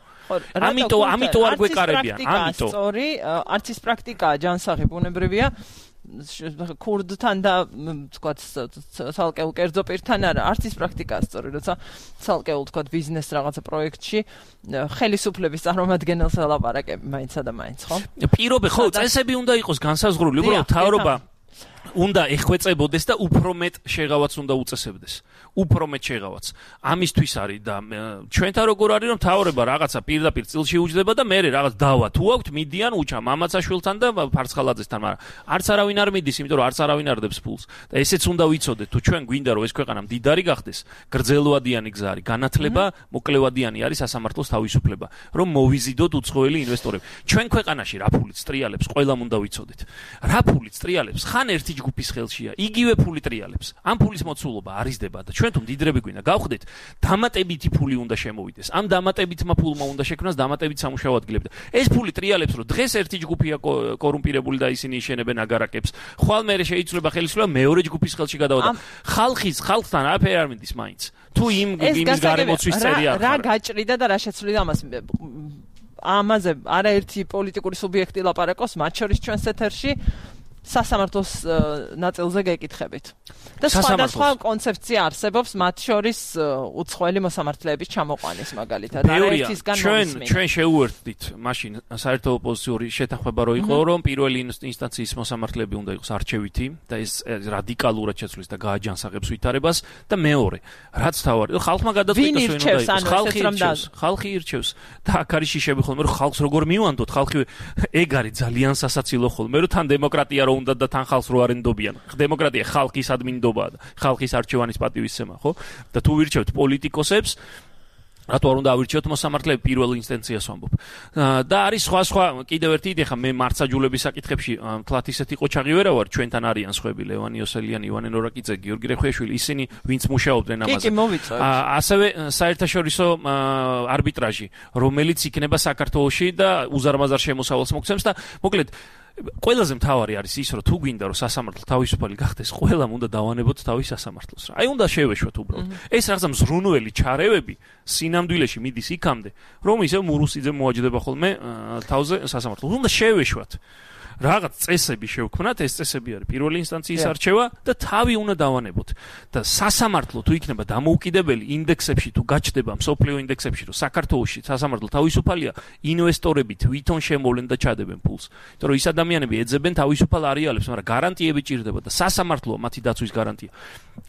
ამიტომ ამიტომ არ გვეკარებიან, ამიტომ. სწორი, არც ის პრაქტიკაა ჯანსაღი ბუნებრივია. ქურდთან და თქვათ ცალკეულ კერძო პირთან არა, არც ის პრაქტიკაა სწორი, როცა ცალკეულ თქვათ ბიზნეს რაღაცა პროექტში ხელისუფლების წარმომადგენელს ელაპარაკები მაინცსა და მაინც, ხო? პირობე, ხო, წესები უნდა იყოს განსაზღვრული, უბრალოდ თავრობა უნდა ეხვეწებოდეს და უფრო მეტ შეღავაც უნდა უწესებდეს. უფრო მეტ შეღავაც. ამისთვის არის და ჩვენთან როგორ არის რომ მთავრობა რაღაცა პირდაპირ წილში უჯდება და მე რაღაც დავა თუ აქვთ მიდიან უჩა მამაცაშვილთან და ფარცხალაძესთან, მაგრამ არც არავინ არ მიდის, იმიტომ რომ არც არავინ არ დებს ფულს. და ესეც უნდა ვიცოდეთ, თუ ჩვენ გვინდა რომ ეს ქვეყანა მდიდარი გახდეს, გრძელვადიანი გზა არის, განათლება, მოკლევადიანი არის სასამართლოს თავისუფლება, რომ მოვიზიდოთ უცხოელი ინვესტორები. ჩვენ ქვეყანაში რა ფულით ტრიალებს, ყველამ უნდა ვიცოდეთ. რა ფულით ტრიალებს, ხან ერთი ჯგუფის ხელშია, იგივე ფული ტრიალებს. ამ ფულის მოცულობა არიზდება და ჩვენ თუ მდიდრები გვინდა გავხდეთ, დამატებითი ფული უნდა შემოვიდეს. ამ დამატებითმა ფულმა უნდა შექმნას დამატებით სამუშაო ადგილები. ეს ფული ტრიალებს, რომ დღეს ერთი ჯგუფია კორუმპირებული და ისინი იშენებენ აგარაკებს. ხვალ მერე შეიძლება ხელისუფლება მეორე ჯგუფის ხელში გადავა და ხალხის ხალხთან არაფერი არ მინდის მაინც. თუ იმ იმის გარემოცვის წერი არ ხარ. რა გაჭრიდა და რა შეცვლიდა ამას ამაზე არაერთი პოლიტიკური სუბიექტი ლაპარაკობს, მათ შორის ჩვენს ეთერში სასამართლოს ნაწილზე გეკითხებით. და სხვადასხვა კონცეფცია არსებობს, მათ შორის უცხოელი მოსამართლეების ჩამოყვანის მაგალითად. არაერთისგან ჩვენ ჩვენ შეუერთდით მაშინ საერთო ოპოზიციური შეთანხმება რო იყო, რომ პირველი ინსტანციის მოსამართლეები უნდა იყოს არჩევითი და ეს რადიკალურად შეცვლის და გააჯანსაღებს ვითარებას და მეორე, რაც თავარი, ხალხმა გადაწყვიტოს ვინ უნდა იყოს, ხალხი ირჩევს, ხალხი ირჩევს და აქ არის შიშები ხოლმე, რომ ხალხს როგორ მივანდოთ, ხალხი ეგ არის ძალიან სასაცილო ხოლმე, რომ თან დემოკრატია უნდა და თან ხალხს რო არენდობიან. დემოკრატია ხალხის ადმინდობაა და ხალხის არჩევანის პატივისცემა, ხო? და თუ ვირჩევთ პოლიტიკოსებს, რატო არ უნდა ავირჩიოთ მოსამართლეები პირველ ინსტანციას ვამბობ. და არის სხვა სხვა კიდევ ერთი იდეა, ხა მე მართსაჯულების საკითხებში თლათ ისეთი ყოჩაღი ვერა ვარ, ჩვენთან არიან სხვები, ლევან იოსელიანი, ივანე ნორაკიძე, გიორგი რეხვიაშვილი, ისინი ვინც მუშაობდნენ ამაზე. ასევე საერთაშორისო არბიტრაჟი, რომელიც იქნება საქართველოში და უზარმაზარ შემოსავალს მოგცემს და მოკლედ ყველაზე მთავარი არის ის, რომ თუ გვინდა რომ სასამართლო თავისუფალი გახდეს, ყველამ უნდა დავანებოთ თავის სასამართლოს რა. აი უნდა შევეშვათ უბრალოდ. ეს რაღაცა მზრუნველი ჩარევები სინამდვილეში მიდის იქამდე, რომ ისე მურუსიძე მოაჯდება ხოლმე თავზე სასამართლოს. უნდა შევეშვათ. რაღაც წესები შევქმნათ, ეს წესები არის პირველი ინსტანციის არჩევა და თავი უნდა დავანებოთ. და სასამართლო თუ იქნება დამოუკიდებელი ინდექსებში თუ გაჩნდება მსოფლიო ინდექსებში, რომ საქართველოში სასამართლო თავისუფალია, ინვესტორები თვითონ შემოვლენ და ჩადებენ ფულს. იმიტომ რომ ის ადამიანები ეძებენ თავისუფალ არეალებს, მაგრამ გარანტიები ჭირდება და სასამართლოა მათი დაცვის გარანტია.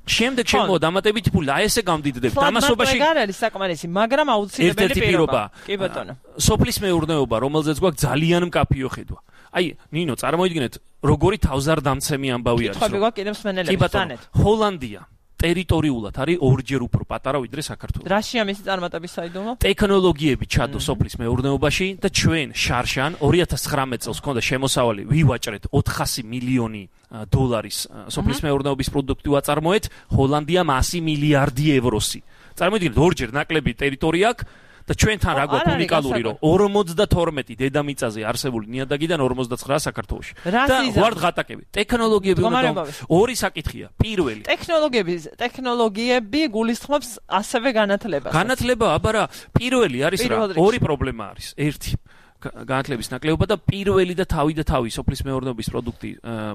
შემდეგ შემოვა დამატებითი ფული, აი ესე გამდიდრდებთ. ამასობაში არ არის საკმარისი, მაგრამ აუცილებელი პირობა. კი ბატონო. სოფლის მეურნეობა, რომელზეც გვაქვს ძალიან მკაფიო ხედვა. აი, ნინო, წარმოიდგინეთ, როგორი თავზარდამცემი ამბავი არის. ხები გვაქვს კიდევ მსმენელები თანეთ. ჰოლანდია ტერიტორიულად არის ორჯერ უფრო პატარა ვიდრე საქართველო. რაშია მისი წარმატების საიდუმლო? ტექნოლოგიები ჩადო სოფლის მეურნეობაში და ჩვენ შარშან ორი ათას ცხრამეტ წელს ქონდა შემოსავალი ვივაჭრეთ ოთხასი მილიონი დოლარის სოფლის მეურნეობის პროდუქტი ვაწარმოეთ, ჰოლანდიამ ასი მილიარდი ევროსი. წარმოიდგინეთ, ორჯერ ნაკლები ტერიტორია აქვს და ჩვენთან რა გვაქვს უნიკალური, რომ ორმოცდათორმეტი დედამიწაზე არსებული ნიადაგიდან ორმოცდაცხრა საქართველოში. და ვართ ღატაკები. ტექნოლოგიები უნდა ორი საკითხია. პირველი. ტექნოლოგიები, ტექნოლოგიები გულისხმობს ასევე განათლებას. განათლება, აბა რა, პირველი არის რა, ორი პრობლემა არის. ერთი განათლების ნაკლებობა და პირველი და თავი და თავი სოფლის მეურნეობის პროდუქტი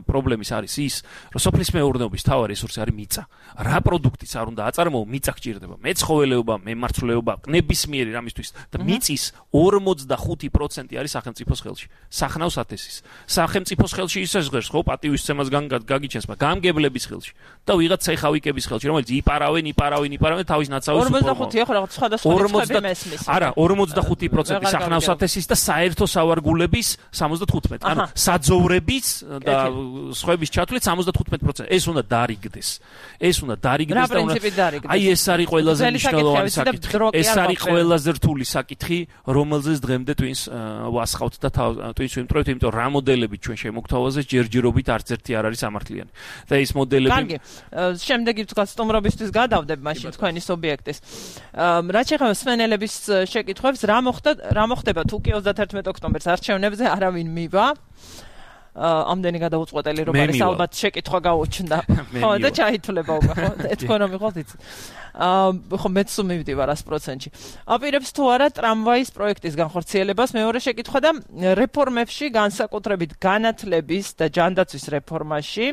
პრობლემის არის ის, რომ სოფლის მეურნეობის თავარი რესურსი არის მიწა. რა პროდუქტიც არ უნდა აწარმოო, მიწა გჭირდება. მეცხოველეობა, მემარცვლეობა, ნებისმიერი რამისთვის და მიწის ორმოცდახუთი პროცენტი არის სახელმწიფოს ხელში. სახნავს ათესის. სახელმწიფოს ხელში ისე ჟღერს, ხო, პატივისცემას გაგიჩენს, მაგრამ გამგებლების ხელში და ვიღაც ცეხავიკების ხელში, რომელიც იპარავენ, იპარავენ, იპარავენ თავის ნაცავებს უპრობლემო. ორმოცდახუთი ხო, რაღაც სხვადასხვა რიცხვები მესმის. არა, ორმოცდახუთი პროცენტი სახნავს ათესის და საერთო სავარგულების სამოცდათხუთმეტი. ანუ საძოვრების და სხვების ჩათვლით სამოცდათხუთმეტი პროცენტი. ეს უნდა დარიგდეს. ეს უნდა დარიგდეს და უნდა აი ეს არის ყველაზე მნიშვნელოვანი საკითხი. ეს არის ყველაზე რთული საკითხი, რომელზეც დღემდე twins ვასხავთ და twins ვიმტრევთ, იმიტომ რა მოდელები ჩვენ შემოგთავაზეს ჯერჯერობით არც ერთი არ არის სამართლიანი. და ეს მოდელები კარგი. შემდეგი გასტუმრობისთვის გადავდებ მაშინ თქვენი სუბიექტის. რაც შეეხება მსმენელების შეკითხვებს, რა მოხდა, რა მოხდება თუ კი ოცდაათერთმეტი ოქტომბერს არჩევნებზე არავინ მივა? ამდენი გადაუწყვეტელი რომ არის ალბათ შეკითხვა გაუჩნდა. ხო და ჩაითვლება უკვე ხო? ეთქო რომ მიყავთ იცი. აა ხო მეც მივდივარ sto პროცენტში. აპირებს თუ არა ტრამვაის პროექტის განხორციელებას? მეორე შეკითხვა და რეფორმებში განსაკუთრებით განათლების და ჯანდაცვის რეფორმაში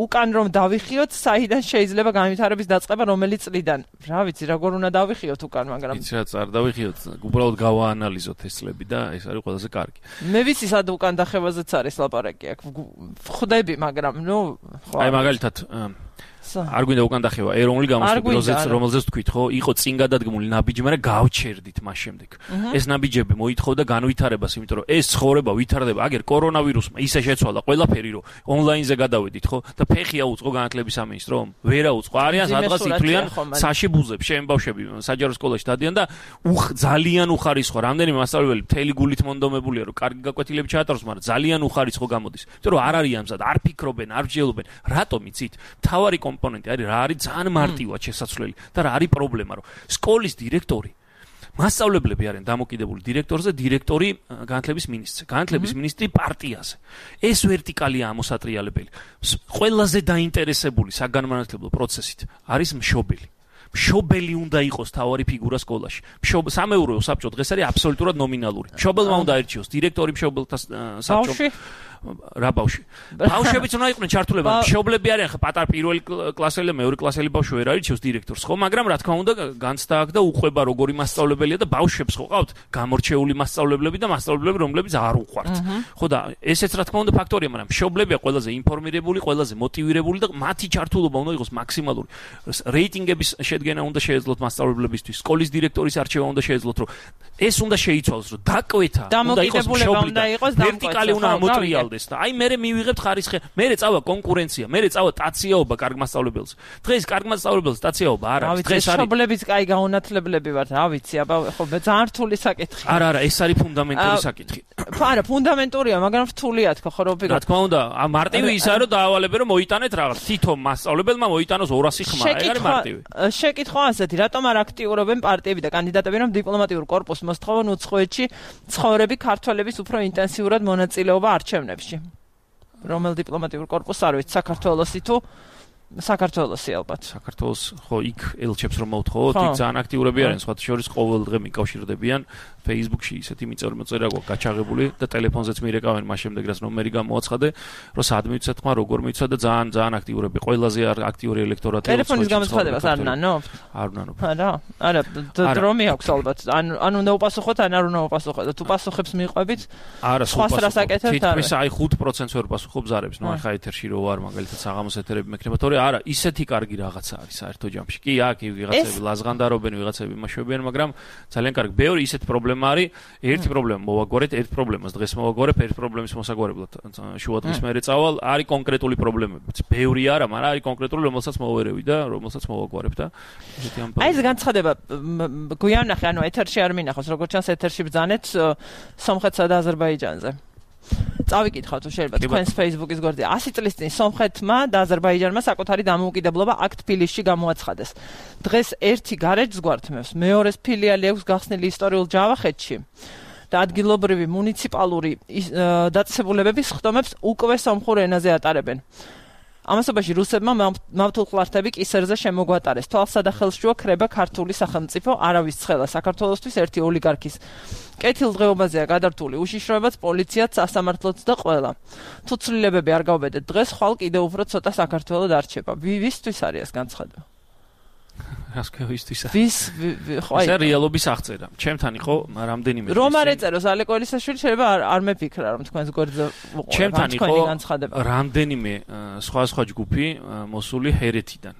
უკან რომ დავიხიოთ, საიდან შეიძლება განვითარების დაწყება რომელი წლიდან? რა ვიცი, როგორ უნდა დავიხიოთ უკან, მაგრამ იცი რა წარ დავიხიოთ, უბრალოდ გავაანალიზოთ ეს წლები და ეს არის ყველაზე კარგი. მე ვიცი სად უკან დახევაზეც არის ლაპარაკი აქ. ხვდები, მაგრამ ნუ ხო. აი მაგალითად არ გვინდა უკან დახევა ეროვნული გამოსვლაზეც რომელზეც თქვით ხო იყო წინ გადადგმული ნაბიჯი მაგრამ გავჩერდით მას შემდეგ ეს ნაბიჯები მოითხოვდა განვითარებას იმიტომ რომ ეს ცხოვრება ვითარდება აგერ კორონავირუსმა ისე შეცვალა ყველაფერი რომ ონლაინზე გადავედით ხო და ფეხი აუწყო განათლების სამინისტრომ ვერა უწყო არიან სადღაც ითვლიან საში ბუზებს შენ ბავშვები საჯარო სკოლაში დადიან და ძალიან უხარისხო რამდენიმე მასწავლებელი მთელი გულით მონდომებულია რომ კარგი გაკვეთილები ჩაატაროს მაგრამ ძალიან უხარისხო გამოდის იმიტომ რომ არ არიან მზად არ ფიქრობენ არ მსჯელობენ რატომ იცით თავარი კომპონენტი არის რა არის ძალიან მარტივად შესაძლებელი და რა არის პრობლემა რომ სკოლის დირექტორი მასწავლებლები არიან დამოკიდებული დირექტორზე დირექტორი განათლების მინისტრზე განათლების მინისტრი პარტიაზე ეს ვერტიკალია ამოსატრიალებელი ყველაზე დაინტერესებული საგანმანათლებლო პროცესით არის მშობელი მშობელი უნდა იყოს თავარი ფიგურა სკოლაში. სამეურვეო საბჭო დღეს არის აბსოლუტურად ნომინალური. მშობელმა უნდა აირჩიოს დირექტორი მშობელთა საბჭო. რა ბავშვი? ბავშვებიც უნდა იყვნენ ჩართულება. მშობლები არიან ხა პატარ პირველი კლასელი და მეორე კლასელი ბავშვი ვერ აირჩიოს დირექტორს, ხო? მაგრამ რა თქმა უნდა განცდა აქვს და უყვება როგორი მასწავლებელია და ბავშვებს ხო ყავთ გამორჩეული მასწავლებლები და მასწავლებლები რომლებიც არ უყვართ. ხო და ესეც რა თქმა უნდა ფაქტორია, მაგრამ მშობლებია ყველაზე ინფორმირებული, ყველაზე მოტივირებული და მათი ჩართულობა უნდა იყოს მაქსიმალური. რეიტინგების შედგენა უნდა შეეძლოთ მასწავლებლებისთვის, სკოლის დირექტორის არჩევა უნდა შეეძლოთ, რომ ეს უნდა შეიცვალოს, რომ დაკვეთა უნდა იყოს მშობლი და ვერტიკალი უნდა ამოტრიალდეს და აი მე მივიღებთ ხარისხი, მე წავა კონკურენცია, მე წავა ტაციაობა კარგ მასწავლებელს. დღეს კარგ მასწავლებელს ტაციაობა არ არის. დღეს არის მშობლების კაი გაუნათლებლები ვართ, რა ვიცი, აბა ხო ძალიან რთული საკითხია. არა, არა, ეს არის ფუნდამენტური საკითხი. არა, ფუნდამენტურია, მაგრამ რთულია თქო ხო რომ ვიგო. რა თქმა უნდა, მარტივი ისაა რომ დაავალებენ რომ მოიტანეთ რაღაც თითო მასწავლებელმა მოიტანოს ორასი ხმა, ეგ არის მარტივი. შეკითხვა ასეთი, რატომ არ აქტიურობენ პარტიები და კანდიდატები რომ დიპლომატიურ კორპუსს მოსთხოვონ უცხოეთში ცხოვრები ქართველების უფრო ინტენსიურად მონაწილეობა არჩევნებში? რომელ დიპლომატიურ კორპუსს არ ვიცი, საქართველოსი თუ საქართველოსი ალბათ. საქართველოს ხო იქ ელჩებს რომ მოვთხოვოთ, იქ ძალიან აქტიურები არიან, სხვათა შორის ყოველ დღე მიკავშირდებიან Facebook-ში ისეთი მიწევრი მოწერა გვაქვს გაჩაღებული და ტელეფონზეც მირეკავენ მას შემდეგ რაც ნომერი გამოაცხადე, რომ სად მივცეთ ხმა, როგორ მივცეთ და ძალიან ძალიან აქტიურები, ყველაზე აქტიური ელექტორატი. ტელეფონის გამოცხადებას არ ნანობთ? არ ნანობ. არა, არა, დრომი აქვს ალბათ. ან ან უნდა უპასუხოთ, ან არ უნდა უპასუხოთ. თუ პასუხებს მიყვებით, არა, სხვა რას აკეთებთ? თითქმის აი ხუთ პროცენტს ვერ პასუხობ ზარებს. ნუ ახლა ეთერში რო ვარ, მაგალითად საღამოს ეთერები მექნება, თორე არა, ისეთი კარგი რაღაცა არის საერთო ჯამში. კი, აქ ვიღაცები ლაზღანდარობენ, ვიღაცები იმაშობიან, მაგრამ ძალიან კარგი. ბევრი ისეთი პრობლემა არის. ერთი პრობლემა მოვაგვარეთ, ერთ პრობლემას დღეს მოვაგვარებ, ერთ პრობლემის მოსაგვარებლად შუადღის მერე წავალ, არის კონკრეტული პრობლემები. ბევრი არა, მაგრამ არის კონკრეტული, რომელსაც მოვერევი და რომელსაც მოვაგვარებ და ესეთი ამბავი. აი ეს განცხადება გვიანახე, ანუ ეთერში არ მინახავს, როგორც ჩანს ეთერში ბრძანეთ სომხეთსა და აზერბაიჯანზე. წავიკითხავ თუ შეიძლება თქვენს Facebook-ის გვერდზე. ასი წლის წინ სომხეთმა და აზერბაიჯანმა საკუთარი დამოუკიდებლობა აქ თბილისში გამოაცხადეს. დღეს ერთი გარეჯს გვართმევს, მეორეს ფილიალი აქვს გახსნილი ისტორიულ ჯავახეთში და ადგილობრივი მუნიციპალური დაწესებულებების ხდომებს უკვე სომხურ ენაზე ატარებენ. ამასობაში რუსებმა მავთულხლართები კისერზე შემოგვატარეს. თვალსა და ხელშუა ქრება ქართული სახელმწიფო, არავის ცხელა საქართველოსთვის ერთი ოლიგარქის კეთილდღეობაზეა გადართული უშიშროებაც, პოლიციაც, სასამართლოც და ყველა. თუ ცვლილებები არ გავბედეთ დღეს, ხვალ კიდევ უფრო ცოტა საქართველო დარჩება. ვისთვის არის ეს განცხადება? რასკევისთვის არის? ვის ხო აი ეს რეალობის აღწერა. ჩემთან იყო რამდენიმე რომ არ ეწეროს ალეკოელიშვილი შეიძლება არ არ მეფიქრა რომ თქვენს გვერდზე უყურებ. ჩემთან იყო რამდენიმე სხვა სხვა ჯგუფი მოსული ჰერეთიდან.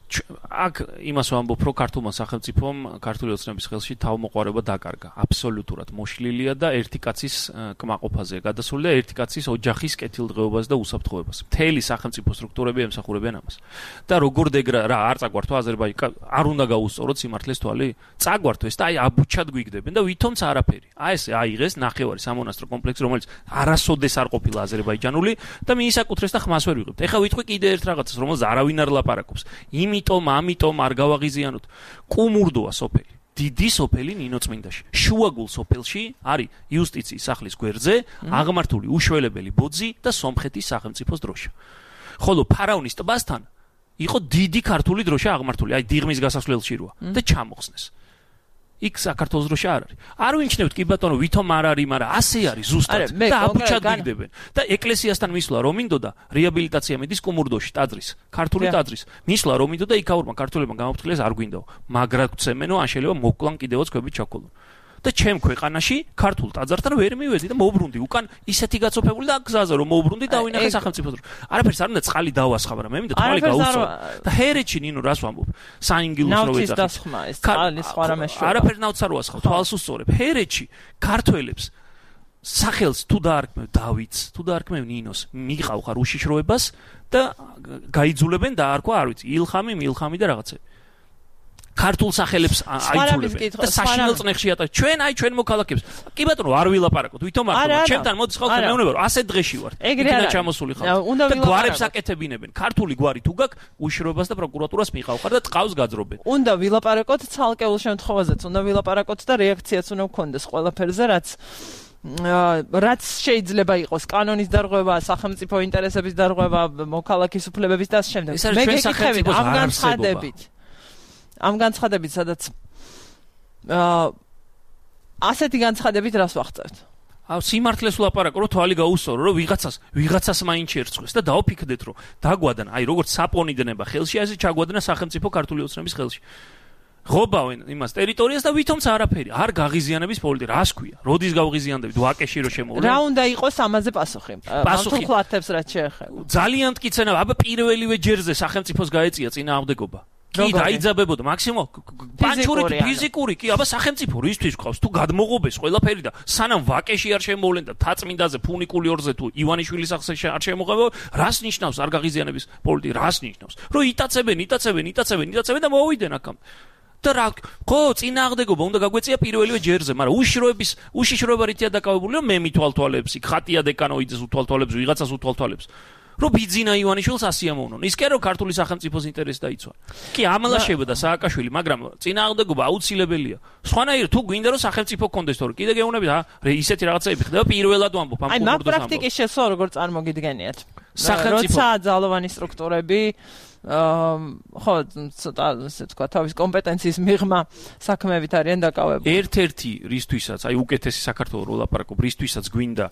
აქ იმას ვამბობ, რომ ქართულმა სახელმწიფომ ქართული ოცნების ხელში თავმოყარება დაკარგა. აბსოლუტურად მოშლილია და ერთი კაცის კმაყოფაზეა გადასული და ერთი კაცის ოჯახის კეთილდღეობას და უსაფრთხოებას. მთელი სახელმწიფო სტრუქტურები ემსახურებიან ამას. და როგორ დეგრა რა არ წაგვართო აზერბაიჯანი არ უნდა გაუსწოროთ სიმართლეს თვალი? წაგვართო ეს და აი აბუჩად გვიგდებენ და ვითომც არაფერი. აი ეს აიღეს ნახევარი სამონასტრო კომპლექსი, რომელიც არასოდეს არ ყოფილა აზერბაიჯანული და მიისაკუთრეს და ხმას ვერ ვიღებთ. ეხლა ვიტყვი კიდე ერთ რაღაცას, რომელზეც არავინ არ ლაპარაკობს. იმიტომ, ამიტომ არ გავაღიზიანოთ. კუმურდოა სოფელი. დიდი სოფელი ნინოწმინდაში. შუაგულ სოფელში არის იუსტიციის სახლის გვერდზე აღმართული უშველებელი ბოძი და სომხეთის სახელმწიფოს დროშა. ხოლო ფარავნის ტბასთან იყო დიდი ქართული დროშა აღმართული, აი დიღმის გასასვლელში როა და ჩამოხსნეს. იქ საქართველოს დროში არ არის. არ ვინჩნევთ კი ბატონო, ვითომ არ არის, მაგრამ ასე არის ზუსტად და აბუჩადგიდებენ. და ეკლესიასთან მისვლა რომ მინდოდა რეაბილიტაცია მიდის კუმურდოში ტაძრის, ქართული ტაძრის. მისვლა რომ მინდოდა იქაურმა ქართულებმა გამოფრთხილეს არ გვინდაო. მაგრად გვცემენო, ან შეიძლება მოკლან კიდევაც ქვებით ჩაქოლო. და ჩემ ქვეყანაში ქართულ ტაძართან ვერ მივედი და მოვბრუნდი უკან ისეთი გაწოფებული და გზაზე რომ მოვბრუნდი და ვინახე სახელმწიფოს დრო. არაფერს არ უნდა წყალი დავასხა, მაგრამ მე მინდა თვალი გაუწვა. და ჰერეთში ნინო რას ვამბობ? საინგილოს რო ეძახი. ნავთის დასხმა ეს წყალი სხვა რამე შევა. არაფერს ნავთს არ ვასხავ, თვალს უსწორებ. ჰერეთში ქართველებს სახელს თუ დაარქმევ დავითს, თუ დაარქმევ ნინოს, მიყავ ხარ უშიშროებას და გაიძულებენ და არქვა არ ვიცი, ილხამი, მილხამი და რაღაცები. ქართულ სახელებს აიძულებენ და საშინელ წნეხში ატარებს. ჩვენ აი ჩვენ მოქალაქეებს. კი ბატონო, არ ვილაპარაკოთ, ვითომ არ ხო? ჩემთან მოდის ხალხი მეუბნება, რომ ასეთ დღეში ვარ. იქიდან ჩამოსული ხალხი. და გვარებს აკეთებინებენ. ქართული გვარი თუ გაქვს, უშიშროებას და პროკურატურას მიყავ ხარ და წყავს გაძრობენ. უნდა ვილაპარაკოთ ცალკეულ შემთხვევაზეც, უნდა ვილაპარაკოთ და რეაქციაც უნდა გქონდეს ყველაფერზე, რაც რაც შეიძლება იყოს კანონის დარღვევა, სახელმწიფო ინტერესების დარღვევა, მოქალაქის უფლებების და ამ შემდეგ. მე გეკითხებით ამ განცხადებით. ამ განცხადებით, სადაც აა ასეთი განცხადებით რას ვახცევთ? აუ სიმართლეს ვლაპარაკო, რომ თვალი გაუსწორო, რომ ვიღაცას, ვიღაცას მაინც შეერწყოს და დაოფიქდეთ, რომ დაგვადან, აი როგორც საპონიდნება ხელში, ასე ჩაგვადნა სახელმწიფო ქართული ოცნების ხელში. ღობავენ იმას ტერიტორიას და ვითომც არაფერი, არ გაღიზიანების პოლიტიკა, რას ქვია? როდის გავღიზიანდებით? ვაკეში რო შემოვლენ. რა უნდა იყოს ამაზე პასუხი? პასუხი ხლათებს რაც შეეხება. ძალიან მტკიცენა, აბა პირველივე ჯერზე სახელმწიფოს გაეწია წინააღმდეგობა. კი დაიძაბებოდა მაქსიმო პანჩური ფიზიკური კი აბა სახელმწიფო რისთვის ყავს თუ გადმოღობეს ყველაფერი და სანამ ვაკეში არ შემოვლენ და თაწმინდაზე ფუნიკული ორზე თუ ივანიშვილის სახზე არ შემოღებო რას ნიშნავს არ გაღიზიანების პოლიტიკა რას ნიშნავს რომ იტაცებენ იტაცებენ იტაცებენ იტაცებენ და მოვიდნენ აქამ და რა ხო წინააღმდეგობა უნდა გაგვეწია პირველივე ჯერზე მაგრამ უშიშროების უშიშროება რითია დაკავებული რომ მე მითვალთვალებს იქ ხატია დეკანოიძეს უთვალთვალებს ვიღაცას უთვალთვალებს რომ ბიძინა ივანიშვილს ასიამოვნონ. ის კი რომ ქართული სახელმწიფოს ინტერესი დაიცვა. კი ამალაშებდა სააკაშვილი, მაგრამ წინააღმდეგობა აუცილებელია. სხვანაირად თუ გვინდა რომ სახელმწიფო კონდეს თორე კიდე გეუბნებით, ა ისეთი რაღაცები ხდება პირველად ვამბობ ამ კურდოს ამბობ. აი მაგ პრაქტიკის შესაძლოა როგორ წარმოგიდგენიათ. როცა ძალოვანი სტრუქტურები ხო ცოტა ასე თქვა თავის კომპეტენციის მიღმა საქმეებით არიან დაკავებული. ერთ-ერთი რისთვისაც, აი უკეთესი საქართველოს რო ლაპარაკობ, რისთვისაც გვინდა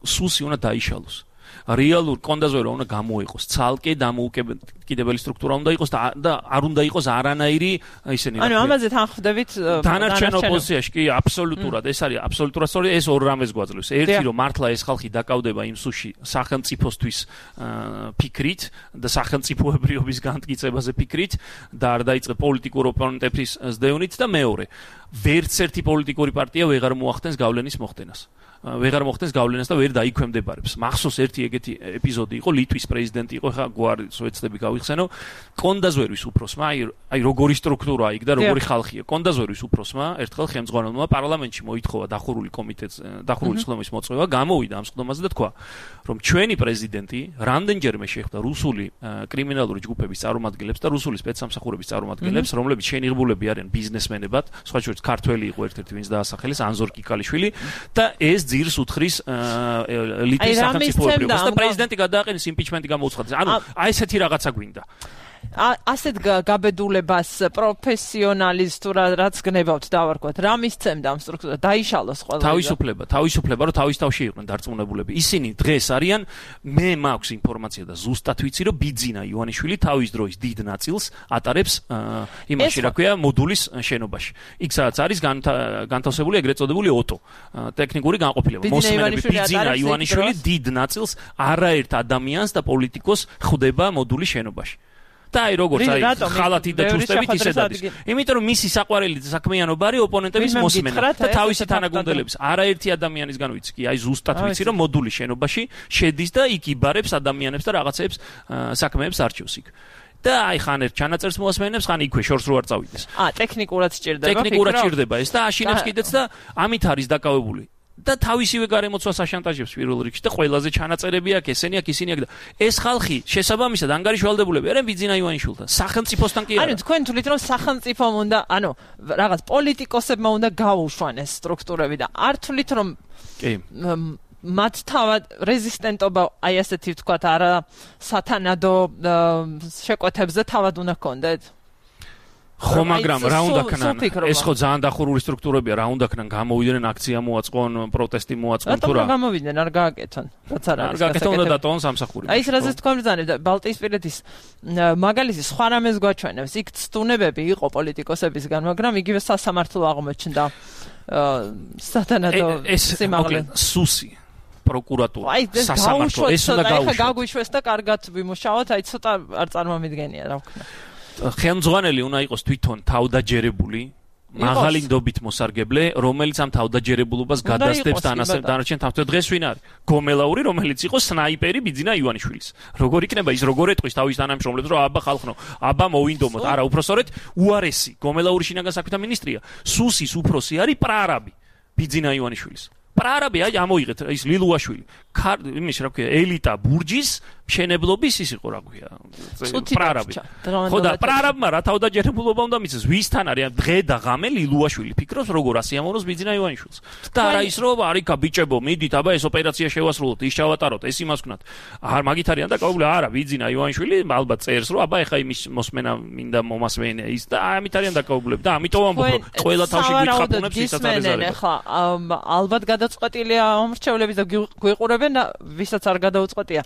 სუსი უნდა დაიშალოს. რეალურ კონდაზვერა უნდა გამოიყოს ცალკე დამოუკიდებელი სტრუქტურა უნდა იყოს და არ უნდა იყოს არანაირი ისინი ანუ ამაზე თანხმდებით დანარჩენ ოპოზიციაში კი აბსოლუტურად ეს არის აბსოლუტურად სწორი ეს ორ რამეს გვაძლევს ერთი რომ მართლა ეს ხალხი დაკავდება იმ სუში სახელმწიფოსთვის ფიქრით და სახელმწიფოებრიობის განმტკიცებაზე ფიქრით და არ დაიწყე პოლიტიკურ ოპონენტების ზდევნით და მეორე ვერც ერთი პოლიტიკური პარტია ვეღარ მოახდენს გავლენის მოხდენას ვეღარ მოხდენს გავლენას და ვერ დაიქვემდებარებს. მახსოვს ერთი ეგეთი ეპიზოდი იყო, ლიტვის პრეზიდენტი იყო, ხა გვარი სოციალისტები გავიხსენო, კონდაზვერვის უფროსმა, აი აი როგორი სტრუქტურაა იქ და როგორი ხალხია. კონდაზვერვის უფროსმა ერთხელ ხელმძღვანელმა პარლამენტში მოითხოვა დახურული კომიტეტს, დახურული სხდომის მოწვევა, გამოვიდა ამ სხდომაზე და თქვა, რომ ჩვენი პრეზიდენტი რამდენჯერმე შეხვდა რუსული კრიმინალური ჯგუფების წარმომადგენლებს და რუსული სპეცსამსახურების წარმომადგენლებს, რომლებიც შენიღბულები არიან ბიზნესმენებად, სხვა შორის ქართველი იყო ერთ-ერთი, ვინც დაასახელეს, ანზორ კიკალიშვილი და ეს ძირს უთხრის ლიტვის სახელმწიფოებრიობას და პრეზიდენტი გადააყენეს იმპიჩმენტი გამოუცხადეს. ანუ აი ესეთი რაღაცა გვინდა. ასეთ გაბედულებას პროფესიონალის თუ რაც გნებავთ დავარქვათ რა მისცემდა ამ სტრუქტურა დაიშალოს ყველა თავისუფლება თავისუფლება რომ თავის თავში იყვნენ დარწმუნებულები ისინი დღეს არიან მე მაქვს ინფორმაცია და ზუსტად ვიცი რომ ბიძინა ივანიშვილი თავის დროის დიდ ნაწილს ატარებს იმაში რა ქვია მოდულის შენობაში იქ სადაც არის განთავსებული ეგრეთ წოდებული ოტო ტექნიკური განყოფილება მოსმენები ბიძინა ივანიშვილი დიდ ნაწილს არაერთ ადამიანს და პოლიტიკოს ხვდება მოდულის შენობაში და აი როგორც აი ხალათი და ჩუსტებით ისე დადის. იმიტომ რომ მისი საყვარელი საქმიანობა არის ოპონენტების მოსმენა და თავისი თანაგუნდელების არაერთი ადამიანისგან ვიცი კი აი ზუსტად ვიცი რომ მოდულის შენობაში შედის და იქ იბარებს ადამიანებს და რაღაცებს საქმეებს არჩევს იქ. და აი ხან ერთ ჩანაწერს მოასმენებს, ხან იქვე შორს რო არ წავიდეს. აა ტექნიკურად სჭირდება. ტექნიკურად სჭირდება ეს და აშინებს კიდეც და ამით არის დაკავებული. და თავისივე გარემოცვას აშანტაჟებს პირველ რიგში და ყველაზე ჩანაწერები აქვს ესენი აქვს ისინი აქვს და ეს ხალხი შესაბამისად ანგარიშვალდებულები არიან ბიძინა ივანიშვილთან სახელმწიფოსთან კი არა ანუ თქვენ თulit რომ სახელმწიფომ უნდა ანუ რაღაც პოლიტიკოსებმა უნდა გაუშვან ეს სტრუქტურები და არ თulit რომ კი მათ თავად რეზისტენტობა აი ასეთი ვთქვათ არა სათანადო შეკვეთებზე თავად უნდა ჰქონდეთ ხო, მაგრამ რა უნდა ქნან? ეს ხო ძალიან დახურული სტრუქტურებია, რა უნდა ქნან? გამოვიდნენ აქცია მოაწყონ, პროტესტი მოაწყონ თუ რა? რატომ გამოვიდნენ, არ გააკეთონ? რაც არ არის. არ გააკეთონ და დატოვონ სამსახური. აი ეს რაზეც თქვა ბრძანებ და ბალტიისპირეთის მაგალითი სხვა რამეს გვაჩვენებს. იქ ცდუნებები იყო პოლიტიკოსებისგან, მაგრამ იგივე სასამართლო აღმოჩნდა. სათანადო სიმაღლე. სუსი პროკურატურა სასამართლო ეს უნდა გაუშვეს. აი ხა გაგვიშვეს და კარგად ვიმუშაოთ, აი ცოტა არ წარმომიდგენია რა ვქნა. ხელმძღვანელი უნდა იყოს თვითონ თავდაჯერებული, მაღალი ნდობით მოსარგებლე, რომელიც ამ თავდაჯერებულობას გადასდებს დანარჩენ თავს. დღეს ვინ არის? გომელაური, რომელიც იყო სნაიპერი ბიძინა ივანიშვილის. როგორ იქნება ის, როგორ ეტყვის თავის თანამშრომლებს, რომ აბა ხალხნო, აბა მოვინდომოთ. არა, უბრალოდ უარესი. გომელაური შინაგან საქმეთა მინისტრია. სუსის უფროსი არის პრარაბი ბიძინა ივანიშვილის. პრარაბი აი ამოიღეთ ის ლილუაშვილი. იმის რა ქვია, ელიტა ბურჯის მშენებლობის ის იყო რა ქვია. პრარაბი. ხო და პრარაბმა რა თავდაჯერებულობა უნდა მისცეს. ვისთან არის დღე და ღამე ლილუაშვილი ფიქრობს როგორ ასიამოვნოს ბიძინა ივანიშვილს. და არა ის რომ არიქა ბიჭებო მიდით აბა ეს ოპერაცია შევასრულოთ, ის ჩავატაროთ, ეს იმას ვქნათ. არ მაგით არიან და გაუგლე არა ბიძინა ივანიშვილი ალბათ წერს რომ აბა ეხა იმის მოსმენა მინდა მომასმენია ის და ამით არიან დაკავებლები და ამიტომ ამბობ რომ ყველა თავში გითხაპუნებს ისაც არის ზარება. ეხა ალბათ გადაწყვეტილია მომრჩევლების და გვიყურებენ და ვისაც არ გადაუწყვეტია.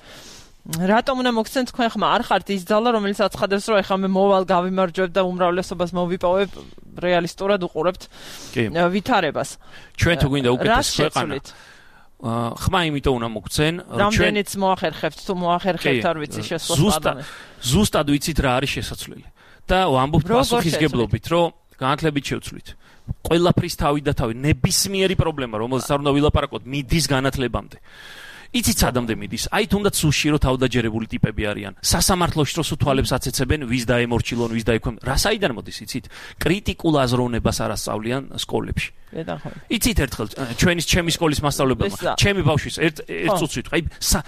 რატომ უნდა მოგცენ თქვენ ხმა არ ხართ ის ძალა რომელიც აცხადებს რომ ეხლა მე მოვალ გავიმარჯვებ და უმრავლესობას მოვიპოვებ რეალისტურად უყურებთ ვითარებას. ჩვენ თუ გვინდა უკეთეს ქვეყანა ხმა იმიტომ უნდა მოგცენ რამდენიც მოახერხებთ თუ მოახერხებთ არ ვიცი შესაძლოა ზუსტად ვიცით რა არის შესაძლებელი და ვამბობთ პასუხისგებლობით რომ განათლებით შევცვლით ყველაფრის თავი და თავი ნებისმიერი პრობლემა რომელზეც არ უნდა ვილაპარაკოთ მიდის განათლებამდე. იცით სადამდე მიდის? აი თუნდაც სუში რო თავდაჯერებული ტიპები არიან. სასამართლოში რო თვალებს აცეცებენ, ვის დაემორჩილონ, ვის დაექვემ. რა საიდან მოდის, იცით? კრიტიკულ აზროვნებას არ ასწავლიან სკოლებში. იცით ერთხელ ჩვენი ჩემი სკოლის მასწავლებელმა, ჩემი ბავშვის ერთ ერთ წუთს ვიტყვი, აი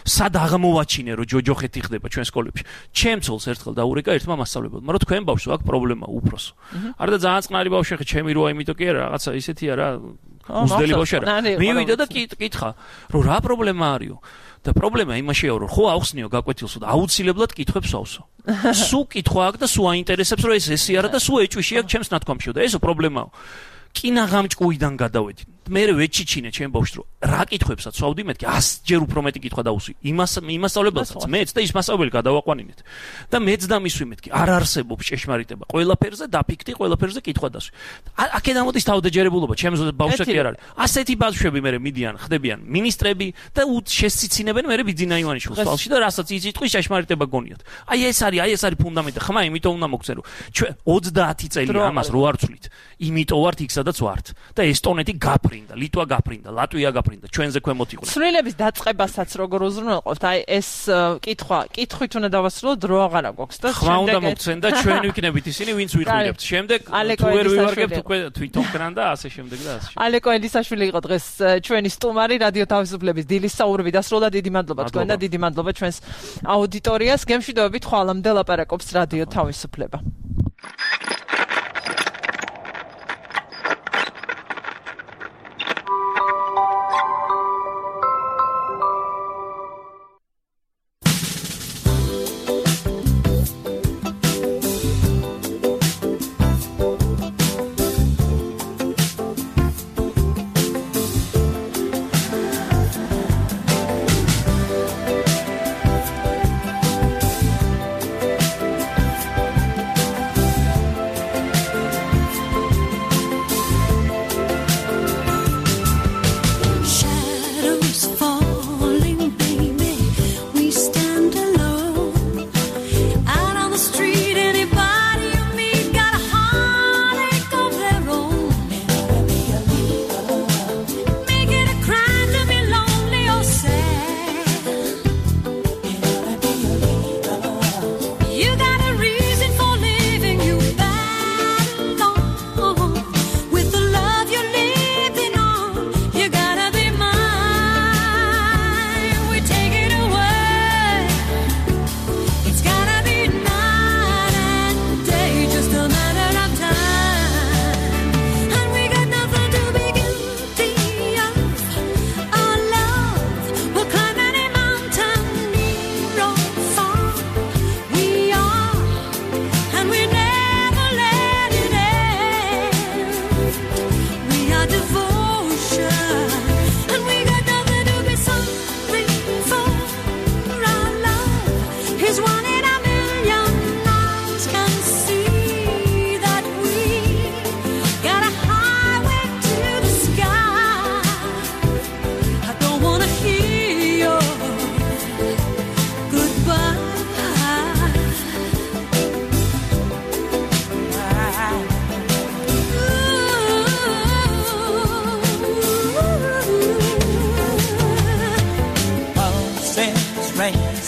სად აღმოვაჩინე რომ ჯოჯოხეთი ხდება ჩვენ სკოლებში. ჩემ ცოლს ერთხელ დაურეკა ერთმა მასწავლებელმა, რომ თქვენ ბავშვს აქვს პრობლემა უფროსო. არა და ძალიან წყნარი ბავშვი ხე ჩემი როა იმიტომ კი არა რაღაცა ისეთია რა უძდელი ბავშვი არა. მივიდა და კითხა, რომ რა პრობლემა არისო? და პრობლემა იმაშია რომ ხო აუხსნიო გაკვეთილსო და აუცილებლად კითხვებს ავსო. სულ კითხვა აქვს და სულ აინტერესებს რომ ეს ესე არა და სულ ეჭვიში აქვს ჩემს ნათქვამშიო და ესო პრობლემაო. კინაღამჭკუიდან გადავედი. მე ვეჩიჩინე ჩემ ბავშვს რომ რა კითხვებსაც ვავდი მეთქი ას ჯერ უფრო მეტი კითხვა დავუსვი. იმას იმასწავლებელსაც მეც და ის მასწავლებელი გადავაყვანინეთ. და მეც დამისვი მეთქი არ არსებობს ჭეშმარიტება. ყველაფერზე დაფიქრდი, ყველაფერზე კითხვა დასვი. აქედან მოდის თავდაჯერებულობა ჩემს ბავშვს კი არ არის. ასეთი ბავშვები მე მიდიან, ხდებიან მინისტრები და შესციცინებენ მე ბიძინა ივანიშვილს თვალში და რასაც იცით ყვის ჭეშმარიტება გონიათ. აი ეს არის, აი ეს არის ფუნდამენტი. ხმა იმიტომ უნდა მოგცენ რომ ჩვენ ოცდაათი წელი ამას რო არ ვცვლით. იმიტომ ვართ იქ სადაც ვართ და ესტონეთი გაფრინდა, ლიტვა გაფრინდა, ლატვია გაფრინდა, ჩვენზე ქვემოთ იყვნენ. ცვლილების დაწყებასაც როგორ უზრუნველყოფთ? აი ეს კითხვა, კითხვით უნდა დავასრულოთ, დრო აღარ აქვს და ხმა უნდა მოგცენ და ჩვენ ვიქნებით ისინი, ვინც ვიხვილებთ. შემდეგ თუ ვერ ვივარგებთ უკვე თვითონ კრან და ასე შემდეგ და ასე. ალეკო ელისაშვილი იყო დღეს ჩვენი სტუმარი რადიო თავისუფლების დილის საუბრები დასრულდა. დიდი მადლობა თქვენ და დიდი მადლობა ჩვენს აუდიტორიას. გემშვიდობებით ხვალამდე ლაპარაკობს რადიო თავისუფლება.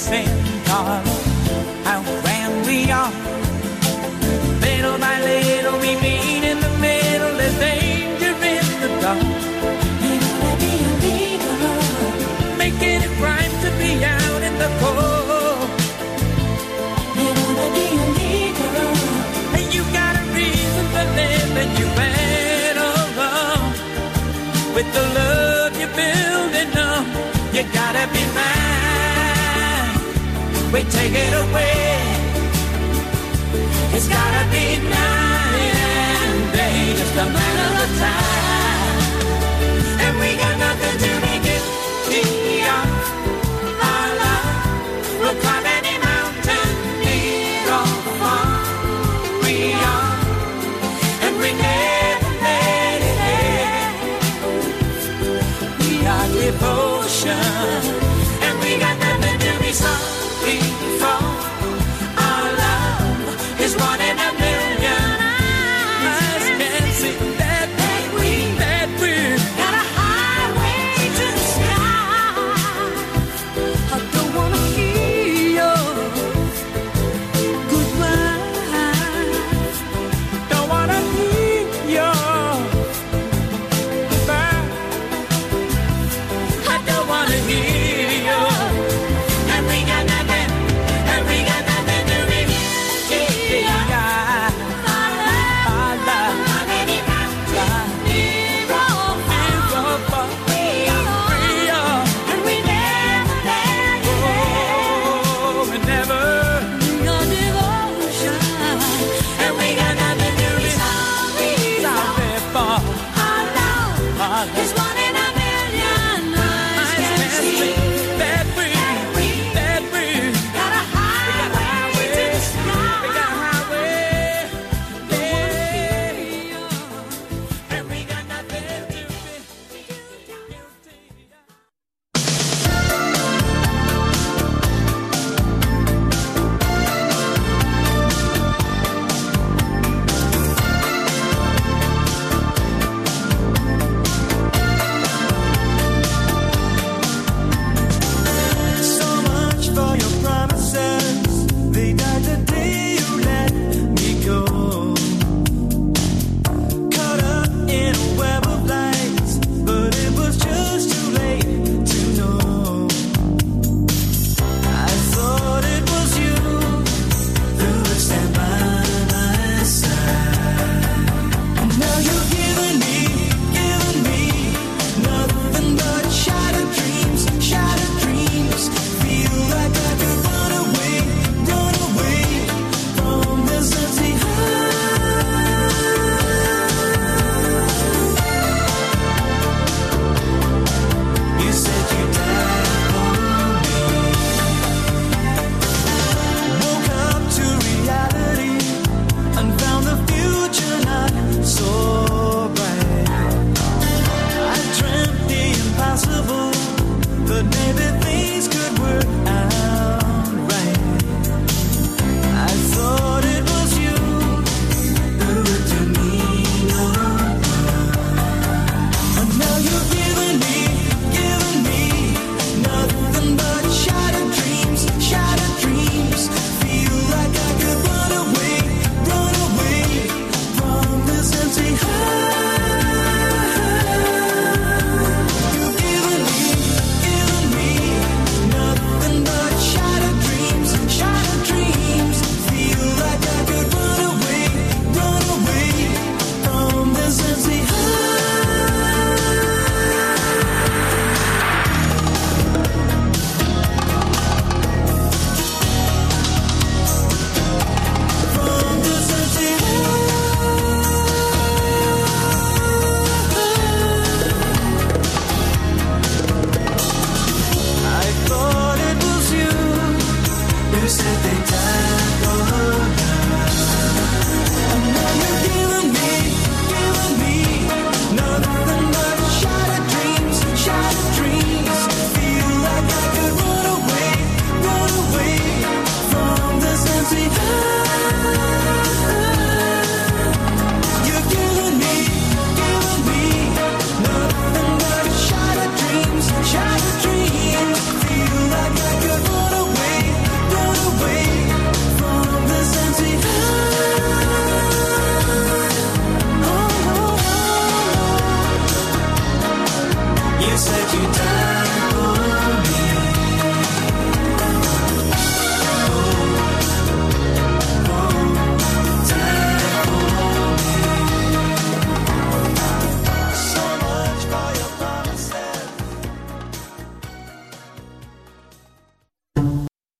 listen, darling, how grand we are. Little by little we meet in the middle. There's danger in the dark. Making it right to be out in the cold. And you got a reason to live and you went along. With the love you're building up, you gotta be mine. We take it away. It's gotta be night and day, just a matter of time. And we got nothing